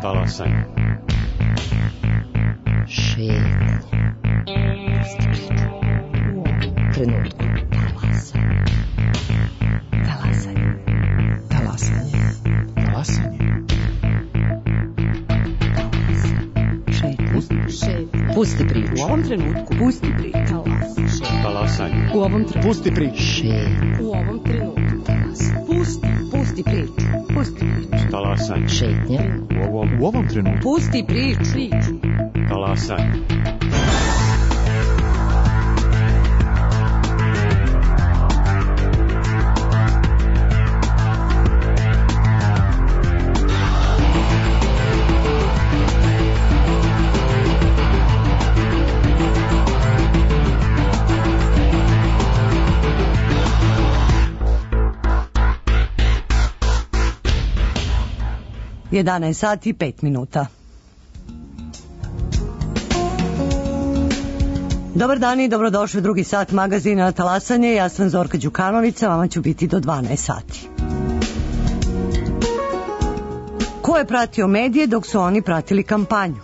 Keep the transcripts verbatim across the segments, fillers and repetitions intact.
Talasanje. Šetnje. Trenutku. Talasanje. Talasanje. Talasanje. Talasanje. Šetnje. Pusti priču. U ovom trenutku. Pusti priču. Talasanje. U ovom trenutku. Pusti priču. Šetnje. U ovom trenutku. Pusti. Pusti priču. Pusti priču. Talasanje. Šetnje. U ovom, U ovom trenutku. Pusti priču. Priču. talasanje. jedanaest sati i pet minuta. Dobar dan i dobrodošli u drugi sat magazina Talasanje. Ja sam Zorka Đukanovića, vama ću biti do dvanaest sati. Ko je pratio medije dok su oni pratili kampanju?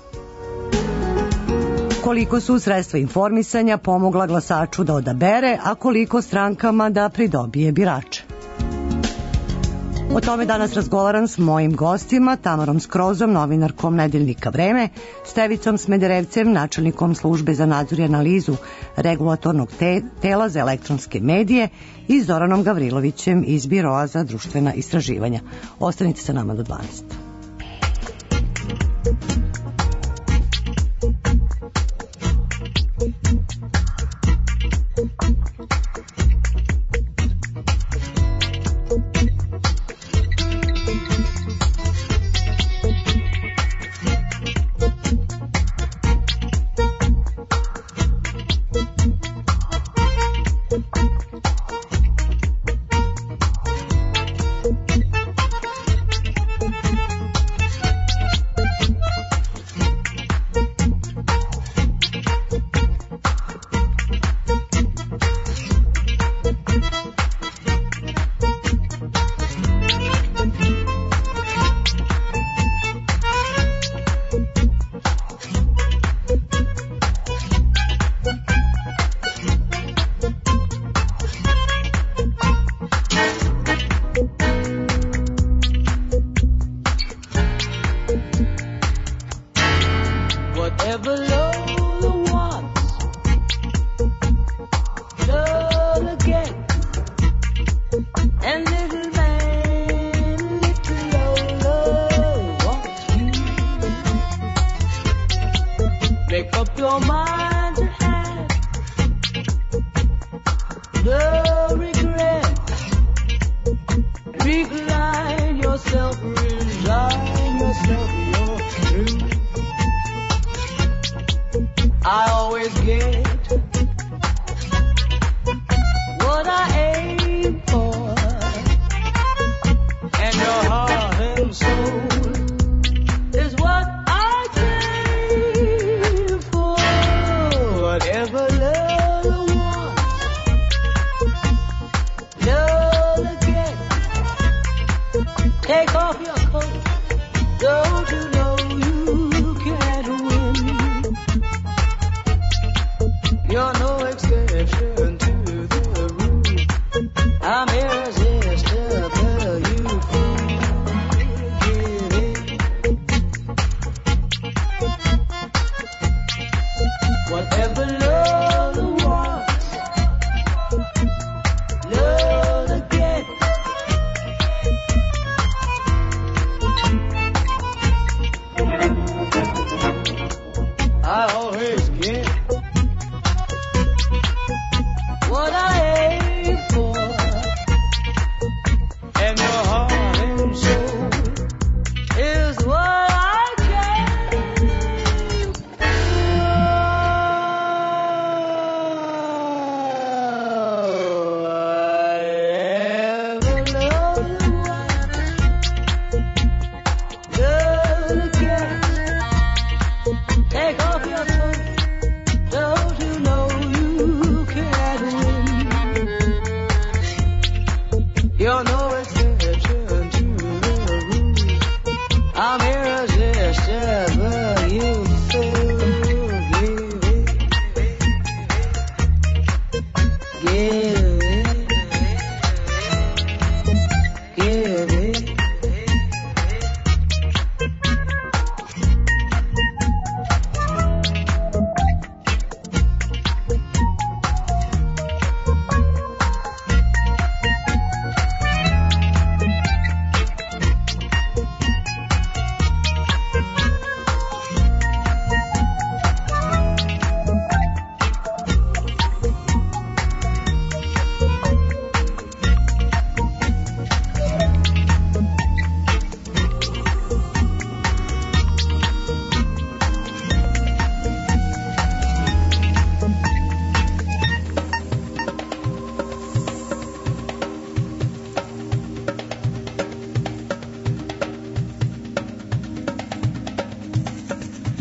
Koliko su sredstva informisanja pomogla glasaču da odabere, a koliko strankama da pridobije birače? O tome danas razgovaram s mojim gostima, Tamarom Skrozom, novinarkom Nedeljnika Vreme, Stevicom Smederevcem, načelnikom službe za nadzor i analizu regulatornog te tela za elektronske medije i Zoranom Gavrilovićem iz Biroa za društvena istraživanja. Ostanite sa nama do dvanaest.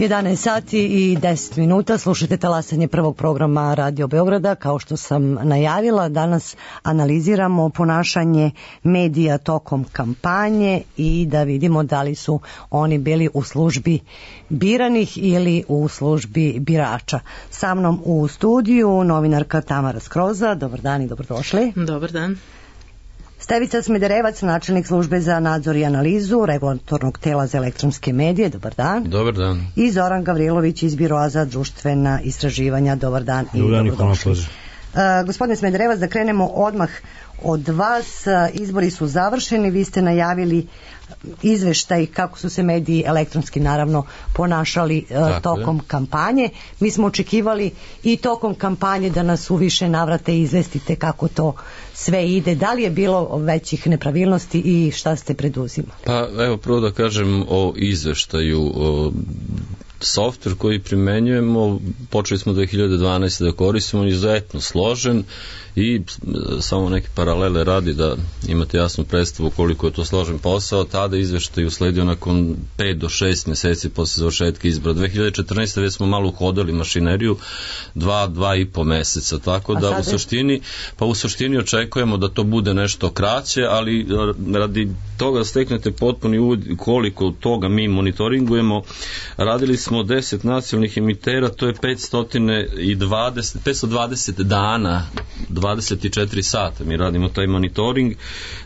jedanaest sati i deset minuta, slušajte talasanje prvog programa Radio Beograda. Kao što sam najavila, danas analiziramo ponašanje medija tokom kampanje i da vidimo da li su oni bili u službi biranih ili u službi birača. Sa mnom u studiju novinarka Tamara Skroza. Dobar dan i dobrodošli. Dobar dan. Stevica Smederevac, načelnik službe za nadzor i analizu regulatornog tela za elektronske medije. Dobar dan. Dobar dan. I Zoran Gavrilović iz Biroa za društvena istraživanja. Dobar dan i dobrodošli. Uh, gospodine Smederevac, da krenemo odmah od vas. Izbori su završeni, vi ste najavili izveštaj kako su se mediji elektronski naravno ponašali uh, tokom je. kampanje. Mi smo očekivali i tokom kampanje da nas u više navrate izvestite kako to sve ide. Da li je bilo većih nepravilnosti i šta ste preduzimali? Pa evo prvo da kažem o izveštaju. O, softver koji primenjujemo, počeli smo dve hiljade dvanaeste da koristimo, izuzetno složen i samo neke paralele radi da imate jasnu predstavu koliko je to složen posao. Tada izveštaj usledio nakon pet do šest meseci posle završetka izbora. dve hiljade četrnaeste već smo malo uhodali mašineriju, dva, dva i po meseca, tako da u suštini, pa u suštini očekujemo da to bude nešto kraće, ali radi toga da steknete potpuni uvod koliko toga mi monitoringujemo, radili smo deset nacionalnih emitera, to je petsto dvadeset, petsto dvadeset dana, dvadeset četiri sata mi radimo taj monitoring,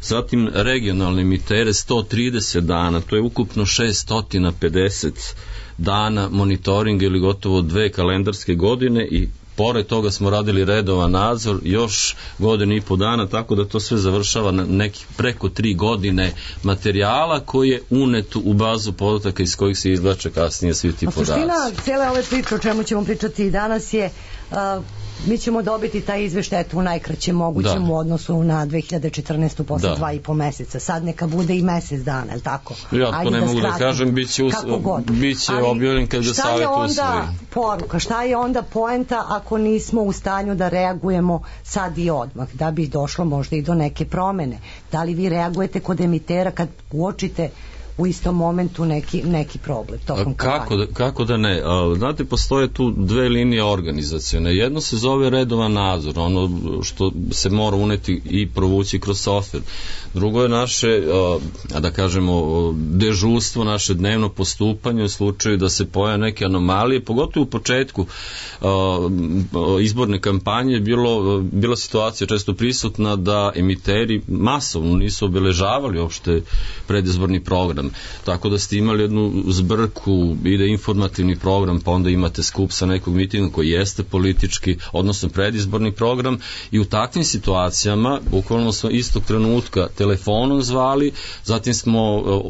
zatim regionalne emitere sto trideset dana, to je ukupno šesto pedeset dana monitoringa ili gotovo dve kalendarske godine i pored toga smo radili redovan nadzor još godinu i po dana, tako da to sve završava na nekih preko tri godine materijala koji je unet u bazu podataka iz kojih se izvlače kasnije svi ti podaci. Suština cijele ove priče o čemu ćemo pričati i danas je uh, mi ćemo dobiti taj izveštaj u najkraćem mogućem u odnosu na dve hiljade četrnaestu posle da. dva i po meseca. Sad neka bude i mesec dana, je li tako? Ja to Ajde ne da mogu skratimo. da kažem, bit će, us... će objavljen kad ga savjet usvoji. Šta je onda poruka, šta je onda poenta ako nismo u stanju da reagujemo sad i odmah, da bi došlo možda i do neke promene? Da li vi reagujete kod emitera kad uočite u istom momentu neki, neki problem tokom kako da, kako da ne? Znate, postoje tu dve linije organizacione. Jedno se zove redovan nadzor, ono što se mora uneti i provući kroz softver. Drugo je naše, a da kažemo, dežurstvo, naše dnevno postupanje u slučaju da se pojave neke anomalije, pogotovo u početku izborne kampanje bilo, bila situacija često prisutna da emiteri masovno nisu obeležavali uopšte predizborni program. Tako da ste imali jednu zbrku, ide informativni program, pa onda imate skup sa nekog mitinga koji jeste politički, odnosno predizborni program i u takvim situacijama bukvalno smo istog trenutka telefonom zvali, zatim smo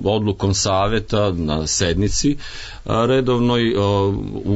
odlukom saveta na sednici redovnoj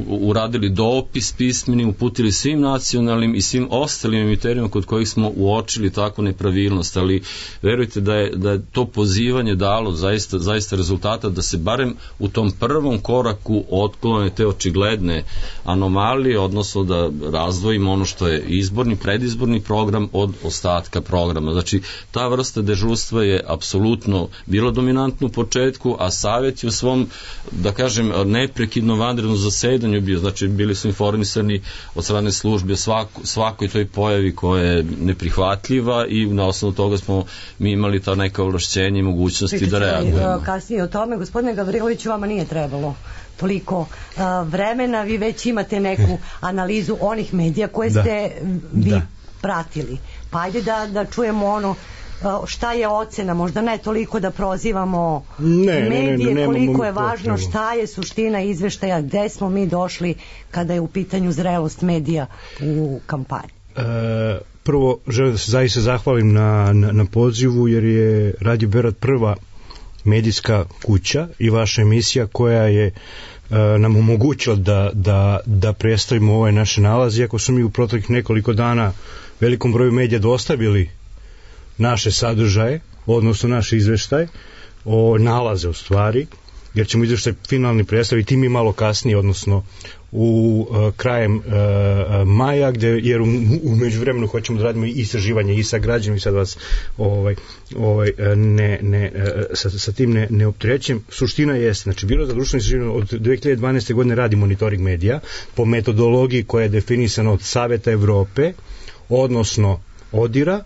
uradili dopis pismeni, uputili svim nacionalnim i svim ostalim emiterima kod kojih smo uočili takvu nepravilnost, ali verujte da je, da je to pozivanje dalo zaista, zaista rezultata da se barem u tom prvom koraku otklone te očigledne anomalije, odnosno da razdvojimo ono što je izborni, predizborni program od ostatka programa. Znači, ta vrsta dežurstva je apsolutno bila dominantna u početku, a savjet je u svom, da kažem, neprekidno vanredno zasedanju bio, znači bili su informisani od strane službe svako, svakoj toj pojavi koja je neprihvatljiva i na osnovu toga smo mi imali ta neka ovlašćenja i mogućnosti Pričali, da reagujemo. Kasnije o tome, gospodine Gavriloviću, vama nije trebalo toliko uh, vremena, vi već imate neku analizu onih medija koje da. ste vi da. pratili. Pa ajde da, da čujemo ono šta je ocena, možda ne toliko da prozivamo ne, medije, ne, ne, ne, koliko je važno potrebu. Šta je suština izveštaja, gde smo mi došli kada je u pitanju zrelost medija u kampanji. E, prvo želim da se zaista zahvalim na, na, na pozivu, jer je Radio Beograd prva medijska kuća i vaša emisija koja je e, nam omogućila da, da, da predstavimo ove naše nalaze, iako su mi u proteklih nekoliko dana velikom broju medija dostavili naše sadržaje, odnosno naše izveštaje o nalaze u stvari, jer ćemo izveštaj finalni predstaviti mi malo kasnije, odnosno u uh, krajem uh, maja, gde, jer u, u međuvremenu hoćemo da radimo i istraživanje i sa građanima i sad vas ovaj, ovaj, ne, ne, sa, sa tim ne, ne opterećem. Suština jeste, znači Biro za društveno istraživanje od dve hiljade dvanaeste. godine radi monitoring medija po metodologiji koja je definisana od Saveta Evrope, odnosno ODIR-a,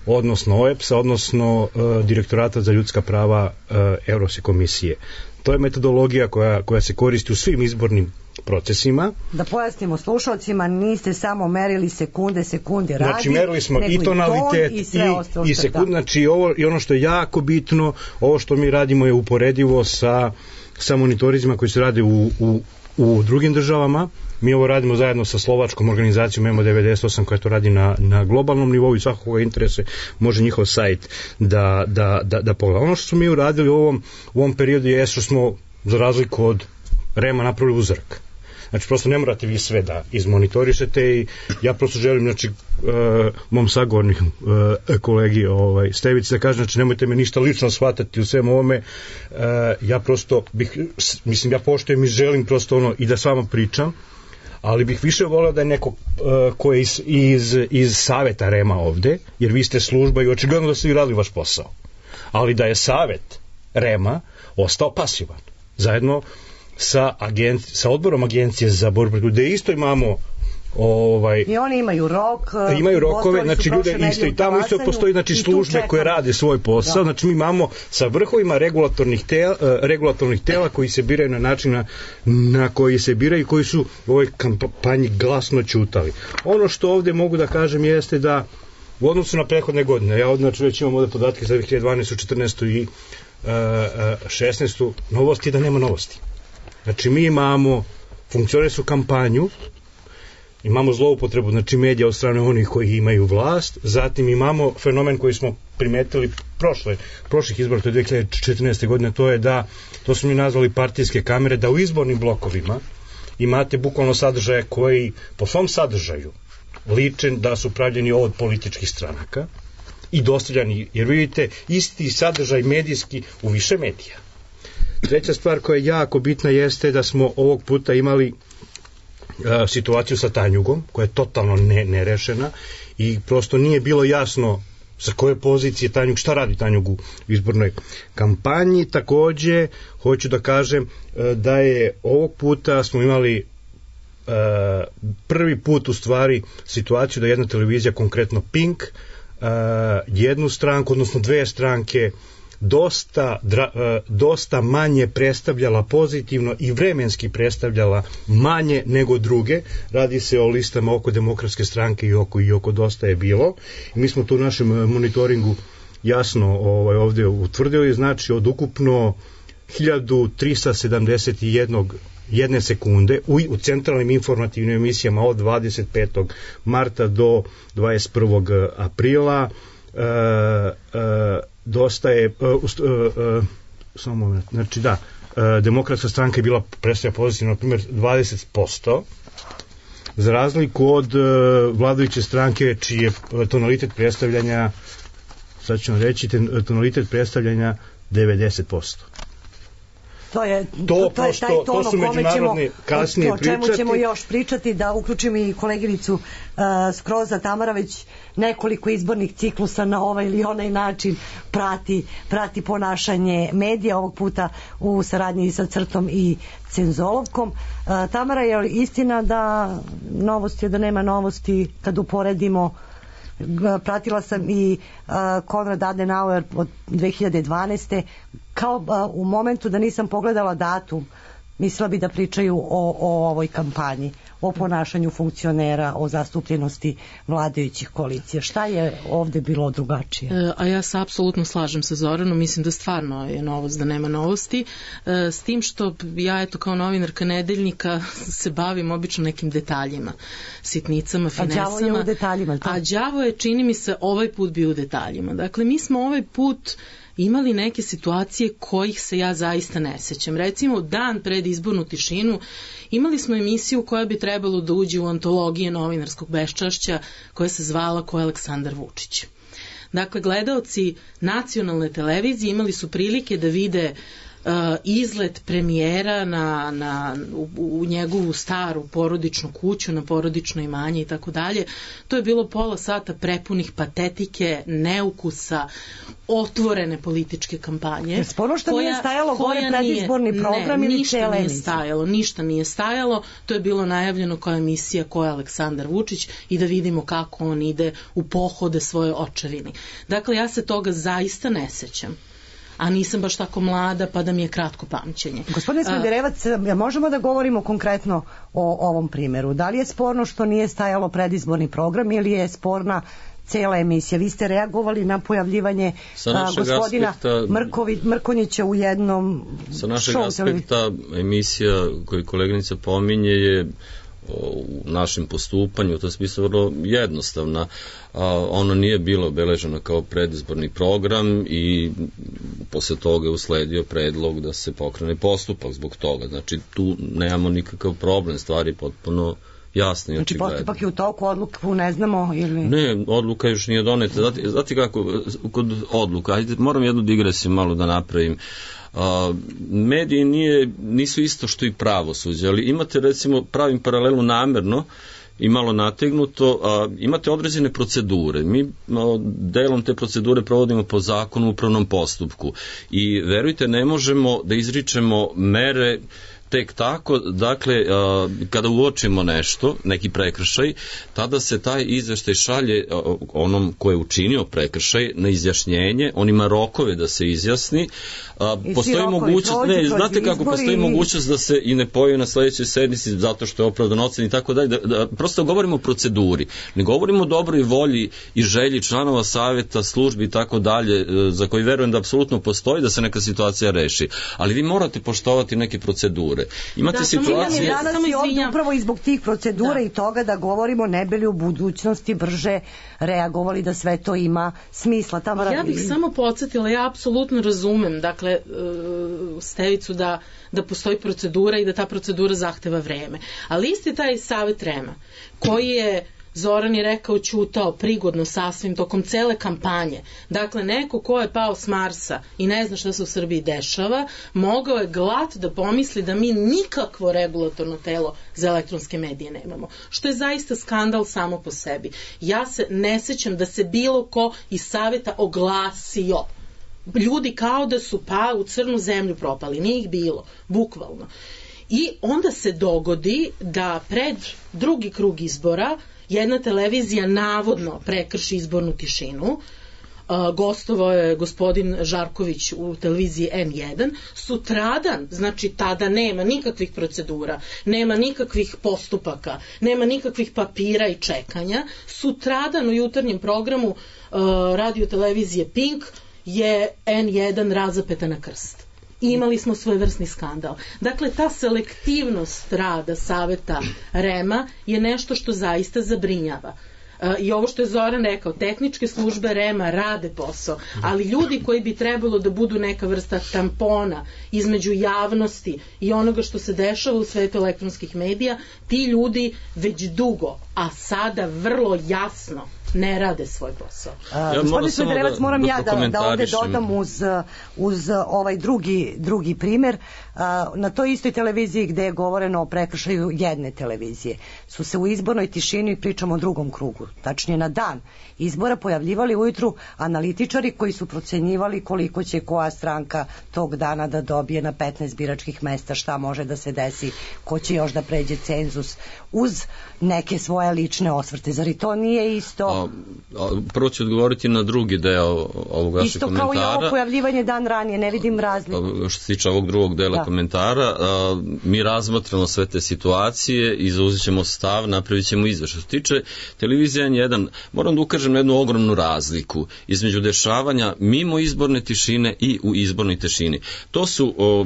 odnosno O E P S-a, odnosno uh, Direktorata za ljudska prava uh, Evropske komisije. To je metodologija koja, koja se koristi u svim izbornim procesima. Da pojasnimo slušalcima, niste samo merili sekunde, sekunde radi, znači merili smo i tonalitet i, i, i sekunde, znači ovo, i ono što je jako bitno, ovo što mi radimo je uporedivo sa, sa monitorizima koji se rade u, u, u drugim državama. Mi ovo radimo zajedno sa slovačkom organizacijom M O devedeset osam koja to radi na, na globalnom nivou i svakog koga interese može njihov sajt da, da, da, da pogleda. Ono što smo mi uradili u ovom, u ovom periodu je što smo za razliku od REM-a napravili uzorak. Znači, prosto ne morate vi sve da izmonitorišete i ja prosto želim, znači, uh, mom sagovorniku, uh, kolegi ovaj, Stevici da kažem, znači, nemojte me ništa lično shvatati u svem ovome, uh, ja prosto bih, mislim, ja poštujem i želim prosto ono i da s vama pričam, ali bih više voleo da je neko uh, ko je iz, iz, iz saveta REM-a ovde, jer vi ste služba i očigledno da ste vi radili vaš posao, ali da je savet REM-a ostao pasivan, zajedno sa, agenci, sa odborom agencije za borbu protiv, gde isto imamo ovaj, i oni imaju rok, imaju rokove, znači ljude isto i tamo isto postoji znači službe koje rade svoj posao, da. Znači mi imamo sa vrhovima regulatornih tela, regulatornih tela koji se biraju na način na, na koji se biraju i koji su u ovoj kampanji glasno ćutali. Ono što ovde mogu da kažem jeste da u odnosu na prethodne godine, ja znači već imam ovde podatke za dve hiljade dvanaestu, četrnaestu i uh, šesnaestu novosti da nema novosti. Znači mi imamo funkcionalnu kampanju, imamo zloupotrebu znači medija od strane onih koji imaju vlast, zatim imamo fenomen koji smo primetili prošle, prošlih izbora, to je dve hiljade četrnaeste. godine, to je da, to smo mi nazvali partijske kamere, da u izbornim blokovima imate bukvalno sadržaje koji po svom sadržaju ličen da su pravljeni od političkih stranaka i dostavljani, jer vidite isti sadržaj medijski u više medija. Treća stvar koja je jako bitna jeste da smo ovog puta imali uh, situaciju sa Tanjugom, koja je totalno ne, nerešena i prosto nije bilo jasno sa koje pozicije Tanjug, šta radi Tanjug u izbornoj kampanji. Takođe, hoću da kažem uh, da je ovog puta smo imali uh, prvi put u stvari situaciju da jedna televizija, konkretno Pink, uh, jednu stranku, odnosno dve stranke dosta, dra, dosta manje predstavljala pozitivno i vremenski predstavljala manje nego druge. Radi se o listama oko Demokratske stranke i oko, i oko Dosta je bilo. I mi smo to u našem monitoringu jasno ovaj, ovde utvrdili, znači od ukupno hiljadu trista sedamdeset jedan jedne sekunde u, u centralnim informativnim emisijama od dvadeset petog marta do dvadeset prvog aprila uh, uh, Dosta je, uh, uh, uh, samo moment, znači da, uh, Demokratska stranka je bila predstavlja pozitivno, na primjer, dvadeset posto, za razliku od uh, vladajuće stranke, čiji je tonalitet predstavljanja, sad ću vam reći, ten, tonalitet predstavljanja devedeset posto. To je, to, to, je taj ton to su međunarodne kasnije pričati. O čemu ćemo pričati. još pričati, da uključim i koleginicu uh, Skroza. Tamara već nekoliko izbornih ciklusa na ovaj ili onaj način prati, prati ponašanje medija, ovog puta u saradnji sa Crtom i Cenzolovkom. Uh, Tamara, je istina da novosti je da nema novosti kad uporedimo? Pratila sam i uh, Konrad Adenauer od dve hiljade dvanaeste. Kao uh, u momentu da nisam pogledala datum, mislila bi da pričaju o, o ovoj kampanji, o ponašanju funkcionera, o zastupljenosti vladajućih koalicija. Šta je ovde bilo drugačije? E, a ja se apsolutno slažem sa Zoranom, mislim da stvarno je novost da nema novosti, e, s tim što ja eto kao novinarka Nedeljnika se bavim obično nekim detaljima, sitnicama, finesama. A đavo je u detaljima. To? A đavo je, čini mi se, ovaj put bio u detaljima. Dakle, mi smo ovaj put imali neke situacije kojih se ja zaista ne sećam. Recimo, dan pred izbornu tišinu imali smo emisiju koja bi trebalo da uđe u antologije novinarskog beščašća koja se zvala Ko je Aleksandar Vučić. Dakle, gledaoci nacionalne televizije imali su prilike da vide izlet premijera na, na, u, u njegovu staru porodičnu kuću, na porodično imanje i tako dalje. To je bilo pola sata prepunih patetike, neukusa, otvorene političke kampanje. Sporno što nije stajalo gore predizborni program ili cijela emisija? Nije stajalo, ništa nije stajalo. To je bilo najavljeno kao emisija ko je Aleksandar Vučić i da vidimo kako on ide u pohode svoje očevini. Dakle, ja se toga zaista ne sećam. A nisam baš tako mlada pa da mi je kratko pamćenje. Gospodine Smederevac, možemo da govorimo konkretno o ovom primjeru? Da li je sporno što nije stajalo predizborni program ili je sporna cela emisija? Vi ste reagovali na pojavljivanje a, gospodina aspekta, Mrkovi, Mrkonjića u jednom show. Sa našeg aspekta emisija koju koleginica pominje je u našem postupanju, u tom smislu vrlo jednostavna. A, ona nije bila obeležena kao predizborni program i posle toga je usledio predlog da se pokrene postupak zbog toga. Znači tu nemamo nikakav problem, stvari potpuno jasno i očigledno. Znači postupak je u toku, odluku ne znamo ili... Ne, odluka još nije doneta. Znate, znate kako, kod odluka, ajde, moram jednu digresiju malo da napravim. Uh, mediji nije, nisu isto što i pravosuđe, ali imate recimo, pravim paralelu namerno i malo nategnuto, a, imate određene procedure. Mi a, delom te procedure provodimo po zakonu u upravnom postupku i verujte, ne možemo da izričemo mere tek tako, dakle, kada uočimo nešto, neki prekršaj, tada se taj izveštaj šalje onom ko je učinio prekršaj na izjašnjenje, on ima rokove da se izjasni. Postoji mogućnost, ne, znate kako, postoji mogućnost da se i ne pojavi na sledećoj sednici zato što je opravdan ocen i tako dalje. Da, prosto govorimo o proceduri, ne govorimo o dobroj volji i želji članova saveta, službi i tako dalje, za koji verujem da apsolutno postoji da se neka situacija reši. Ali vi morate poštovati neke procedure. Imate da, situacije... Danas i ovdje upravo i zbog tih procedura da. I toga da govorimo ne bi li u budućnosti brže reagovali da sve to ima smisla. Tamara, ja bih samo podsjetila, ja apsolutno razumem, dakle, uh, Stevicu da, da postoji procedura i da ta procedura zahteva vreme. Ali isti taj Savet REM-a, koji je Zoran je rekao ćutao prigodno sasvim tokom cele kampanje. Dakle, neko ko je pao s Marsa i ne zna šta se u Srbiji dešava, mogao je glat da pomisli da mi nikakvo regulatorno telo za elektronske medije nemamo. Što je zaista skandal samo po sebi. Ja se ne sećam da se bilo ko iz saveta oglasio. Ljudi kao da su pa u crnu zemlju propali. Nije ih bilo, bukvalno. I onda se dogodi da pred drugi krug izbora jedna televizija navodno prekrši izbornu tišinu. Uh, gostovao je gospodin Žarković u televiziji N jedan. Sutradan, znači tada nema nikakvih procedura, nema nikakvih postupaka, nema nikakvih papira i čekanja. Sutradan u jutarnjem programu uh, radio televizije Pink je N jedan razapeta na krst. Imali smo svojevrsni skandal. Dakle, ta selektivnost rada Saveta REM-a je nešto što zaista zabrinjava. I ovo što je Zoran rekao, tehničke službe REM-a rade posao, ali ljudi koji bi trebalo da budu neka vrsta tampona između javnosti i onoga što se dešava u svetu elektronskih medija, ti ljudi već dugo, a sada vrlo jasno ne rade svoj posao. Ja Gospodin Smederevac, moram da, ja da, da ovde dodam uz, uz ovaj drugi, drugi primer. Na toj istoj televiziji gde je govoreno o prekršaju jedne televizije su se u izbornoj tišini, pričamo o drugom krugu, tačnije na dan izbora, pojavljivali ujutru analitičari koji su procenjivali koliko će koja stranka tog dana da dobije na petnaest biračkih mesta, šta može da se desi, ko će još da pređe cenzus, uz neke svoje lične osvrte. Zar i to nije isto? A, a, prvo ću odgovoriti na drugi deo ovog vašeg komentara. Isto kao i ovo pojavljivanje dan ranije, ne vidim razliku. Što se tiče ovog drugog dela da. komentara, a, mi razmatramo sve te situacije i zauzet ćemo stav, napravit ćemo izveštaj. Što se tiče televizije N jedan, moram da ukažem na jednu ogromnu razliku između dešavanja mimo izborne tišine i u izbornoj tišini. To su o,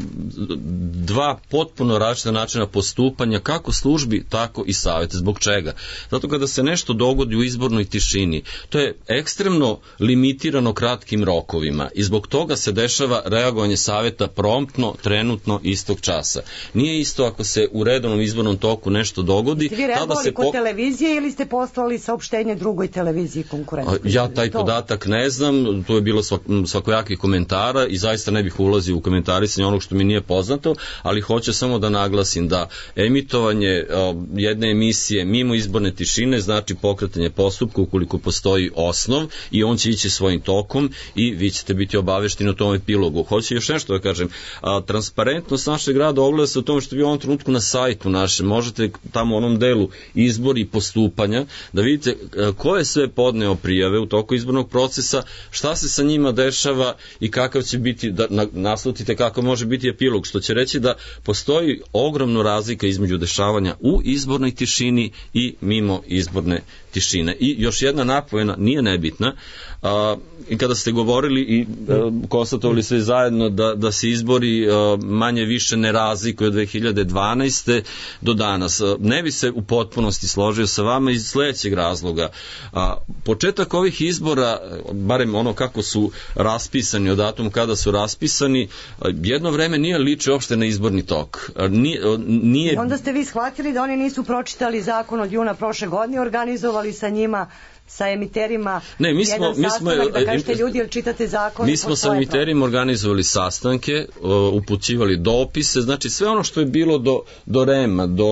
dva potpuno različita načina postupanja kako službi, tako i saveta. Zbog čega? Zato kada se nešto dogodi u izbornoj tišini, tišini. To je ekstremno limitirano kratkim rokovima i zbog toga se dešava reagovanje saveta promptno, trenutno, istog časa. Nije isto ako se u redovnom izbornom toku nešto dogodi. Ste vi reagovali se kod pok... televizije ili ste poslali saopštenje drugoj televiziji konkurentskoj? Ja taj to? podatak ne znam, to je bilo svak, svakojakih komentara i zaista ne bih ulazio u komentarisanje onog što mi nije poznato, ali hoću samo da naglasim da emitovanje uh, jedne emisije mimo izborne tišine znači pokretanje postupka ukoliko postoji osnov i on će ići svojim tokom i vi ćete biti obavešteni o tom epilogu. Hoću još nešto da kažem, a, transparentnost našeg rada ogleda se u tome što vi u ovom trenutku na sajtu našem možete tamo u onom delu izbor i postupanja da vidite a, ko je sve podneo prijave u toku izbornog procesa, šta se sa njima dešava i kakav će biti, da na, naslutite kako može biti epilog, što će reći da postoji ogromna razlika između dešavanja u izbornoj tišini i mimo izborne tišine. I još jedna napomena, nije nebitna, a, i kada ste govorili i a, konstatovali sve zajedno da, da se izbori a, manje više ne razlikuju od dve hiljade dvanaeste do danas. A, ne bi se u potpunosti složio sa vama iz sledećeg razloga. A, početak ovih izbora, barem ono kako su raspisani, od datuma kada su raspisani, a, jedno vreme nije liči uopšte na izborni tok. A, nije, a, nije... I onda ste vi shvatili da oni nisu pročitali zakon od juna prošle godine, organizovali sa njima, sa emiterima ne, mi smo, jedan mi sastanak smo, da kažete ljudi, jel čitate zakon? Mi smo sa emiterima organizovali sastanke, upućivali dopise, znači sve ono što je bilo do, do rema, do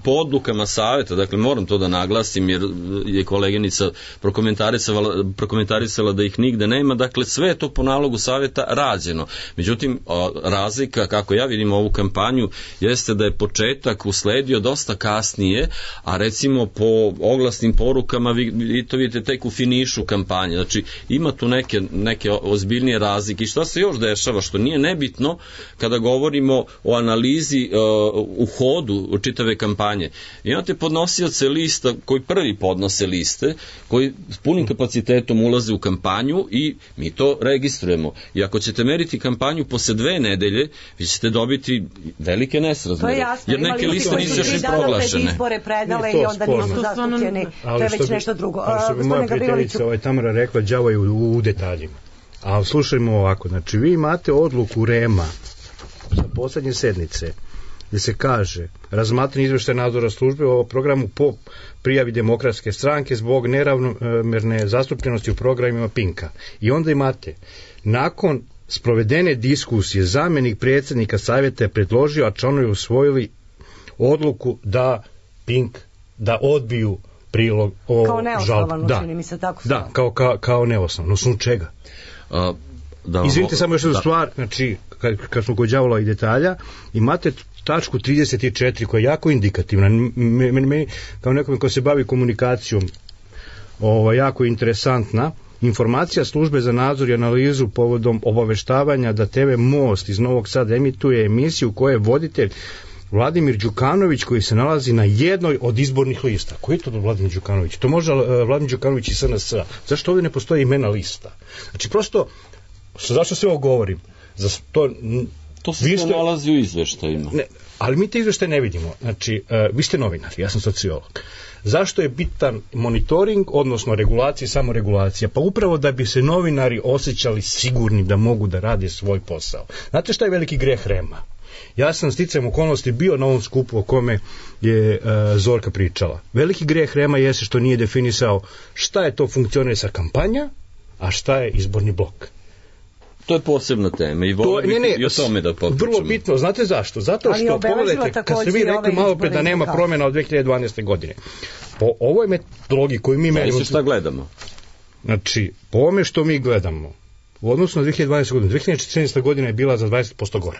po odlukama saveta, dakle moram to da naglasim jer je koleginica prokomentarisala, prokomentarisala da ih nigde nema, dakle sve je to po nalogu saveta rađeno. Međutim, razlika, kako ja vidim ovu kampanju, jeste da je početak usledio dosta kasnije, a recimo po oglasnim porukama vi, vi to vidite tek u finišu kampanje. Znači, ima tu neke, neke ozbiljnije razlike. I šta se još dešava, što nije nebitno kada govorimo o analizi uh, u hodu čitave kampanje. Imate podnosioce lista koji prvi podnose liste, koji s punim kapacitetom ulaze u kampanju i mi to registrujemo. I ako ćete meriti kampanju posle dve nedelje, vi ćete dobiti velike nesrazmere. Jer neke liste nisu još i proglašene. Izbore predale i onda nisu zastupljeni. To je već nešto drugo. Što bi moja prijateljica ovaj, Tamara rekla, đavo je u, u detaljima. A slušajmo ovako, znači vi imate odluku REM-a za poslednje sednice gde se kaže razmatranje izveštaja nadzora službe o programu po prijavi Demokratske stranke zbog neravnomerne zastupljenosti u programima Pinka. I onda imate nakon sprovedene diskusije zamenik predsjednika savjeta je predložio, a članovi usvojili odluku da Pink da odbiju prilog o kao neosnovano, da, čini mi se tako. Da, kao, kao, kao neosnovano. Osnovu čega? A, da, Izvinite samo još jednu da. stvar, znači, kad, kad smo kod đavola i detalja, imate tačku trideset četiri koja je jako indikativna. Meni me, kao nekome ko se bavi komunikacijom, ovo, jako interesantna. Informacija službe za nadzor i analizu povodom obaveštavanja da te ve Most iz Novog Sada emituje emisiju u kojoj je voditelj Vladimir Đukanović koji se nalazi na jednoj od izbornih lista. Koji je to Vladimir Đukanović? To može uh, Vladimir Đukanović iz S N S. Zašto ovdje ne postoji imena lista? Znači prosto, zašto sve ovo govorim? Za to, to se ste... nalazi u izveštajima. Ne, ali mi te izveštaje ne vidimo. Znači, uh, vi ste novinar, ja sam sociolog. Zašto je bitan monitoring, odnosno regulacija, samo regulacija? Pa upravo da bi se novinari osjećali sigurni da mogu da rade svoj posao. Znate šta je veliki greh REM-a? Ja sam sticajem okolnosti bio na ovom skupu o kome je uh, Zorka pričala. Veliki greh REM-a jeste što nije definisao šta je to funkcionisa kampanja, a šta je izborni blok. To je posebna tema i volim ne, ne, i o tome da potpućemo. Vrlo bitno, znate zašto? Zato što, pogledajte, kad ste vi rekli malo pre da nema promjena od dve hiljade dvanaeste. godine. Po ovoj metodologiji koju mi merimo... Znači šta gledamo? Znači, po ovome što mi gledamo, u odnosu na dve hiljade dvanaeste. godinu, dve hiljade četrnaesta. godina je bila za dvadeset posto gore.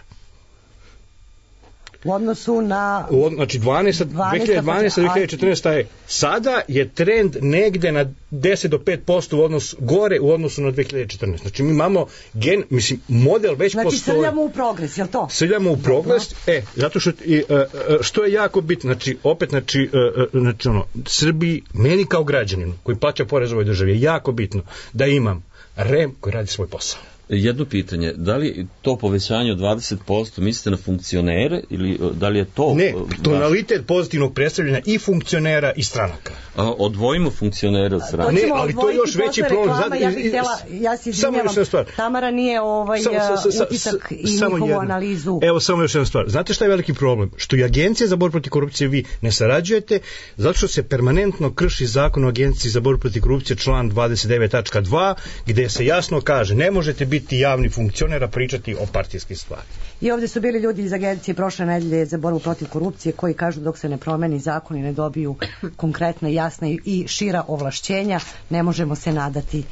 U odnosu na... U, znači, dvanaesta, dve hiljade dvanaesta. dve hiljade četrnaesta. je... Sada je trend negde na deset do pet posto u odnosu, gore u odnosu na dve hiljade četrnaeste. Znači, mi imamo gen, mislim, model već znači, postoji. Znači, srljamo u progres, je li to? Srljamo u progres, e, zato što, i, uh, što je jako bitno, znači, opet, znači, uh, znači, ono, Srbiji, meni kao građaninu, koji plaća porez ovoj državi, je jako bitno da imam REM koji radi svoj posao. Jedno pitanje, da li to povećanje od dvadeset posto mislite na funkcionere ili da li je to... Ne, tonalitet pozitivnog predstavljanja i funkcionera i stranaka. A, odvojimo funkcionere od stranaka. Ne, ali to je još veći problem. Reklama, ja bih htjela, ja se izvinjavam, Tamara nije ovaj samo, sa, sa, utisak i njihovu jedno. Analizu. Evo samo još jedna stvar. Znate šta je veliki problem? Što i Agencija za borbu protiv korupcije vi ne sarađujete, zato što se permanentno krši zakon o Agenciji za borbu protiv korupcije član dvadeset devet tačka dva gde se jasno kaže ne možete biti javni funkcioner a pričati o partijskih stvari. I ovdje su bili ljudi iz Agencije prošle nedelje za borbu protiv korupcije koji kažu dok se ne promeni zakon i ne dobiju konkretne, jasne i šira ovlašćenja, ne možemo se nadati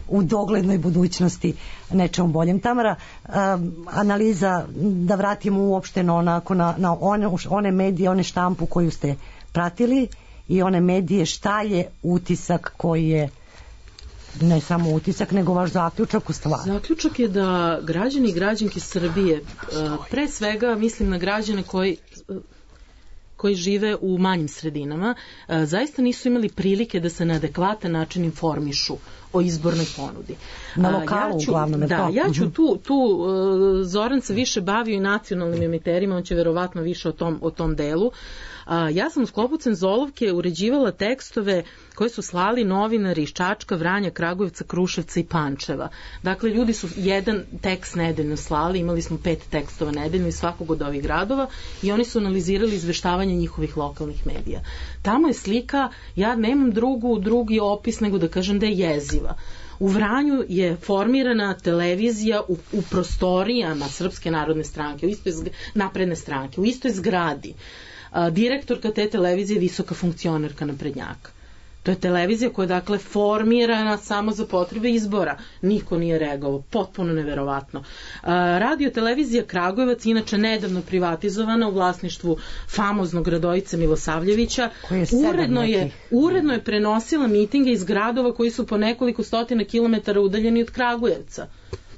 u doglednoj budućnosti nečemu boljem. Tamara, um, analiza, da vratimo uopšteno onako na, na one, one medije, one štampu koju ste pratili i one medije, šta je utisak koji je ne samo utisak, nego vaš zaključak u stvari? Zaključak je da građani i građanke Srbije, pre svega mislim na građane koji koji žive u manjim sredinama, zaista nisu imali prilike da se na adekvatan način informišu o izbornoj ponudi. Na lokalu ja ću, uglavnom. Da, ja ću tu, tu Zoran se više bavio i nacionalnim emiterima, on će verovatno više o tom, o tom delu. A, ja sam u sklopu Cenzolovke uređivala tekstove koje su slali novinari iz Čačka, Vranja, Kragujevca, Kruševca i Pančeva. Dakle, ljudi su jedan tekst nedeljno slali, imali smo pet tekstova nedeljno iz svakog od ovih gradova i oni su analizirali izveštavanje njihovih lokalnih medija. Tamo je slika, ja nemam drugu, drugi opis nego da kažem da je jeziva. U Vranju je formirana televizija u, u prostorijama Srpske narodne stranke, u istoj zg... napredne stranke, u istoj zgradi. A, direktorka te televizije je visoka funkcionerka naprednjaka. To je televizija koja je dakle formirana samo za potrebe izbora. Niko nije reagovao, potpuno neverovatno. Radio televizija Kragujevac, inače nedavno privatizovana u vlasništvu famoznog Radojice Milosavljevića, je uredno, je, uredno je prenosila mitinge iz gradova koji su po nekoliko stotina kilometara udaljeni od Kragujevca.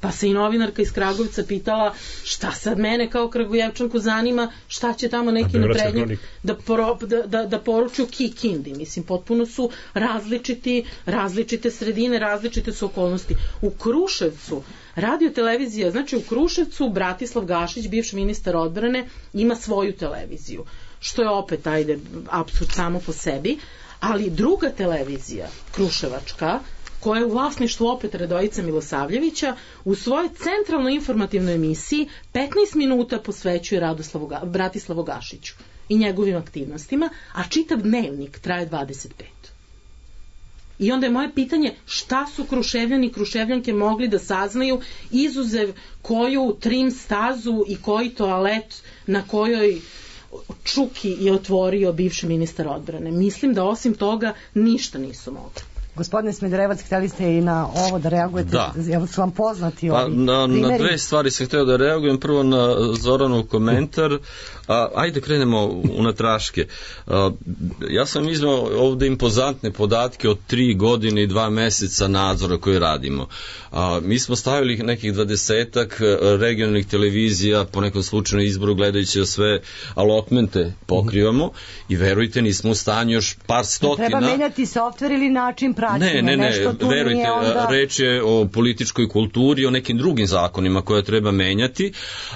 Pa se i novinarka iz Kragujevca pitala šta sad mene kao Kragujevčanku zanima, šta će tamo neki naprednjak da, da, da, da poruči u Kikindi. Mislim, potpuno su različiti, različite sredine, različite su okolnosti. U Kruševcu, radio televizija, znači u Kruševcu Bratislav Gašić, bivši ministar odbrane, ima svoju televiziju. Što je opet, ajde, apsurd samo po sebi, ali druga televizija, Kruševačka, koja je u vlasništvu opet Radojice Milosavljevića, u svojoj centralnoj informativnoj emisiji petnaest minuta posvećuje Radoslavu, Bratislavu Gašiću i njegovim aktivnostima, a čitav dnevnik traje dvadeset pet. I onda je moje pitanje šta su Kruševljani i Kruševljanke mogli da saznaju izuzev koju trim stazu i koji toalet na kojoj Čuki je otvorio bivši ministar odbrane. Mislim da osim toga ništa nisu mogli. Gospodine Smederevac, htjeli ste i na ovo da reagujete, da. Jel su vam poznati pa, ovi na, primjeri? Na dve stvari sam htio da reagujem, prvo na Zoranov komentar, a, ajde krenemo unatraške. A, ja sam iznao ovde impozantne podatke od tri godine i dva meseca nadzora koje radimo. A, mi smo stavili nekih dvadesetak regionalnih televizija po nekom slučajnom izboru gledajući da sve alotmente pokrivamo i verujte nismo u stanju još par stotina. Treba menjati softver ili način praćenja. Ne, ne, ne, verujte, onda... reč je o političkoj kulturi, o nekim drugim zakonima koje treba menjati,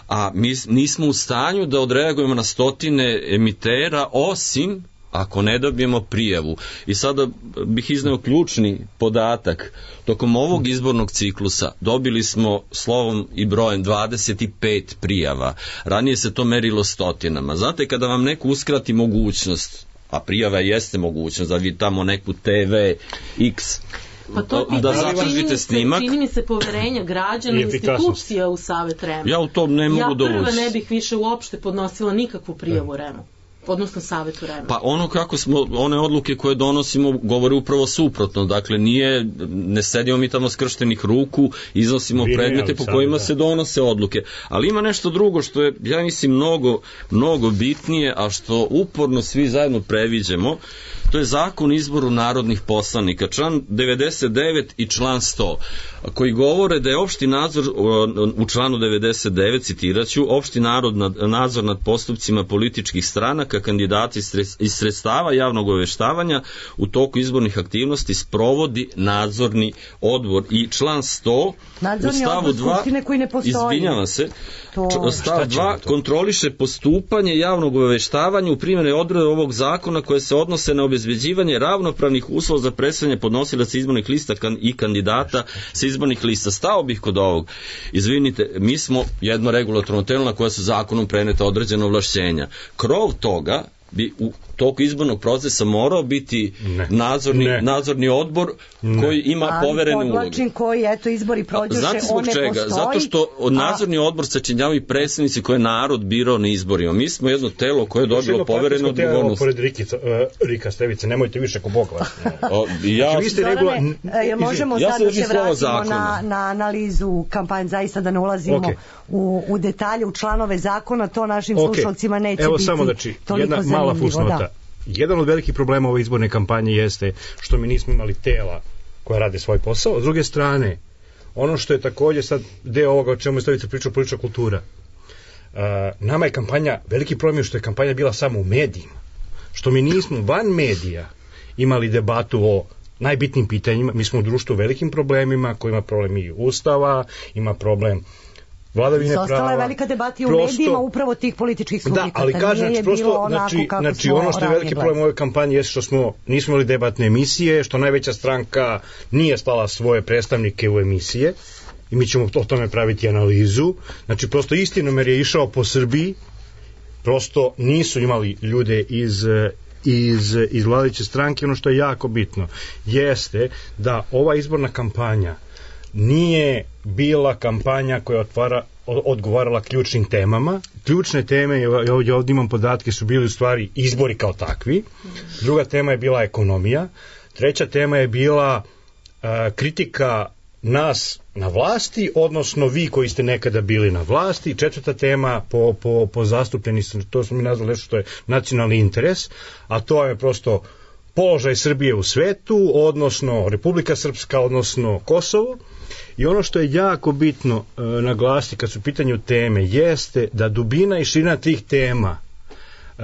a mi nismo u stanju da odreagujemo na stotine emitera, osim ako ne dobijemo prijavu. I sada bih izneo ključni podatak. Tokom ovog izbornog ciklusa dobili smo slovom i brojem dvadeset pet prijava. Ranije se to merilo stotinama. Znate, kada vam neko uskrati mogućnost, a prijava jeste mogućnost da vi tamo neku te ve X pa to da zatražite snimak. Čini mi se poverenja građana i institucija u Savet REM. Ja u to ne mogu da ući. Ja prva ne bih više uopšte podnosila nikakvu prijavu REM-u, odnosno Savetu REM-a. Pa ono kako smo, one odluke koje donosimo govore upravo suprotno, dakle nije, ne sedimo mi tamo skrštenih ruku, iznosimo Vine, predmete po kojima da. se donose odluke, ali ima nešto drugo što je, ja mislim, mnogo, mnogo bitnije, a što uporno svi zajedno previđemo. To je zakon o izboru narodnih poslanika, član devedeset devet i član sto, koji govore da je opšti nadzor u članu devedeset devet, citiraću, opšti narod nad, nadzor nad postupcima političkih stranaka predsjednika kandidata iz sredstava javnog obaveštavanja u toku izbornih aktivnosti sprovodi nadzorni odbor i član sto nadzorni u stavu dva koji ne postoji. Izvinjavam se. To... Stav dva kontroliše postupanje javnog obaveštavanja u primjeni odredbe ovog zakona koje se odnose na obezbeđivanje ravnopravnih uslova za predstavljanje podnosilaca izbornih lista i kandidata sa izbornih lista. Stao bih kod ovog. Izvinite, mi smo jedno regulatorno telo na koje su zakonom preneta određena ovlašćenja. Krov toga bi u toku izbornog procesa morao biti ne. Nadzorni, ne. nadzorni odbor ne. Koji ima ali poverene uloge. Ali podlačim koji, eto, izbori prođoše, znate zbog on čega? ne postoji. Zato što nadzorni a... odbor sačinjavaju predstavnici koje je narod birao na izborima. Mi smo jedno telo koje je dobilo poverenu odgovornost. Pored Rikica, uh, Rika Stevice, nemojte više ko Bog vas. ja, znači, vi ste regula... Zorane, možemo ja sad da se vratimo na, na analizu kampanje, zaista da ne ulazimo okay. u, u detalje, u članove zakona, to našim okay. slušalcima neće Evo, biti samo znači, toliko jedna zanimljivo. Mala fusnota. Da. Jedan od velikih problema ove izborne kampanje jeste što mi nismo imali tela koja rade svoj posao. S druge strane, ono što je također sad deo ovoga o čemu je Slavica pričao, politička kultura. Uh, nama je kampanja, veliki problem je što je kampanja bila samo u medijima. Što mi nismo van medija imali debatu o najbitnijim pitanjima. Mi smo u društvu velikim problemima, koji ima problem i ustava, ima problem vladavine prava. Ostala je velika debata u medijima upravo tih političkih subjekata. Da, ali kažem, prosto, znači, znači ono što je veliki problem ove kampanje je što smo, nismo imali debatne emisije, što najveća stranka nije slala svoje predstavnike u emisije i mi ćemo o tome praviti analizu. Znači, prosto istinomer je išao po Srbiji, prosto nisu imali ljude iz iz, iz vladajuće stranke. Ono što je jako bitno jeste da ova izborna kampanja nije bila kampanja koja otvara, odgovarala ključnim temama. Ključne teme, ja ovdje imam podatke, su bili u stvari izbori kao takvi. Druga tema je bila ekonomija. Treća tema je bila uh, kritika nas na vlasti, odnosno vi koji ste nekada bili na vlasti. Četvrta tema po, po, po zastupljenosti, to smo mi nazvali nešto što je nacionalni interes, a to je prosto položaj Srbije u svetu, odnosno Republika Srpska, odnosno Kosovo. I ono što je jako bitno e, naglasiti kad su u pitanju teme jeste da dubina i širina tih tema e,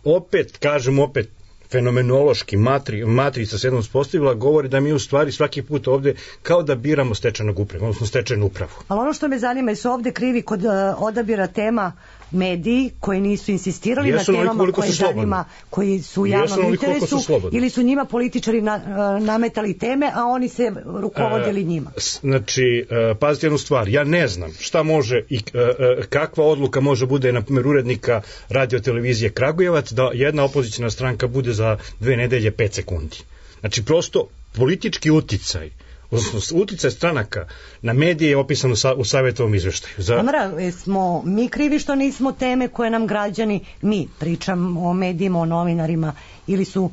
opet, kažem opet, fenomenološki matri, matrica se jednom uspostavila, govori da mi u stvari svaki put ovde kao da biramo stečajnog upravu, odnosno stečajnu upravu. Ali ono što me zanima, su ovde krivi kod uh, odabira tema mediji koji nisu insistirali jesu na temama koje zanima, koji su u javnom interesu, ili su njima političari na, uh, nametali teme, a oni se rukovodili njima? Uh, znači, uh, pazite jednu stvar, ja ne znam šta može i uh, uh, kakva odluka može bude, na primjer, urednika radio-televizije Kragujevac, da jedna opozicijna stranka bude za dve nedelje pet sekundi. Znači, prosto politički uticaj, odnosno uticaj stranaka na medije je opisano u savjetovom izveštaju. Za... Amara, smo mi krivi što nismo teme koje nam građani, mi pričam o medijima, o novinarima, ili su,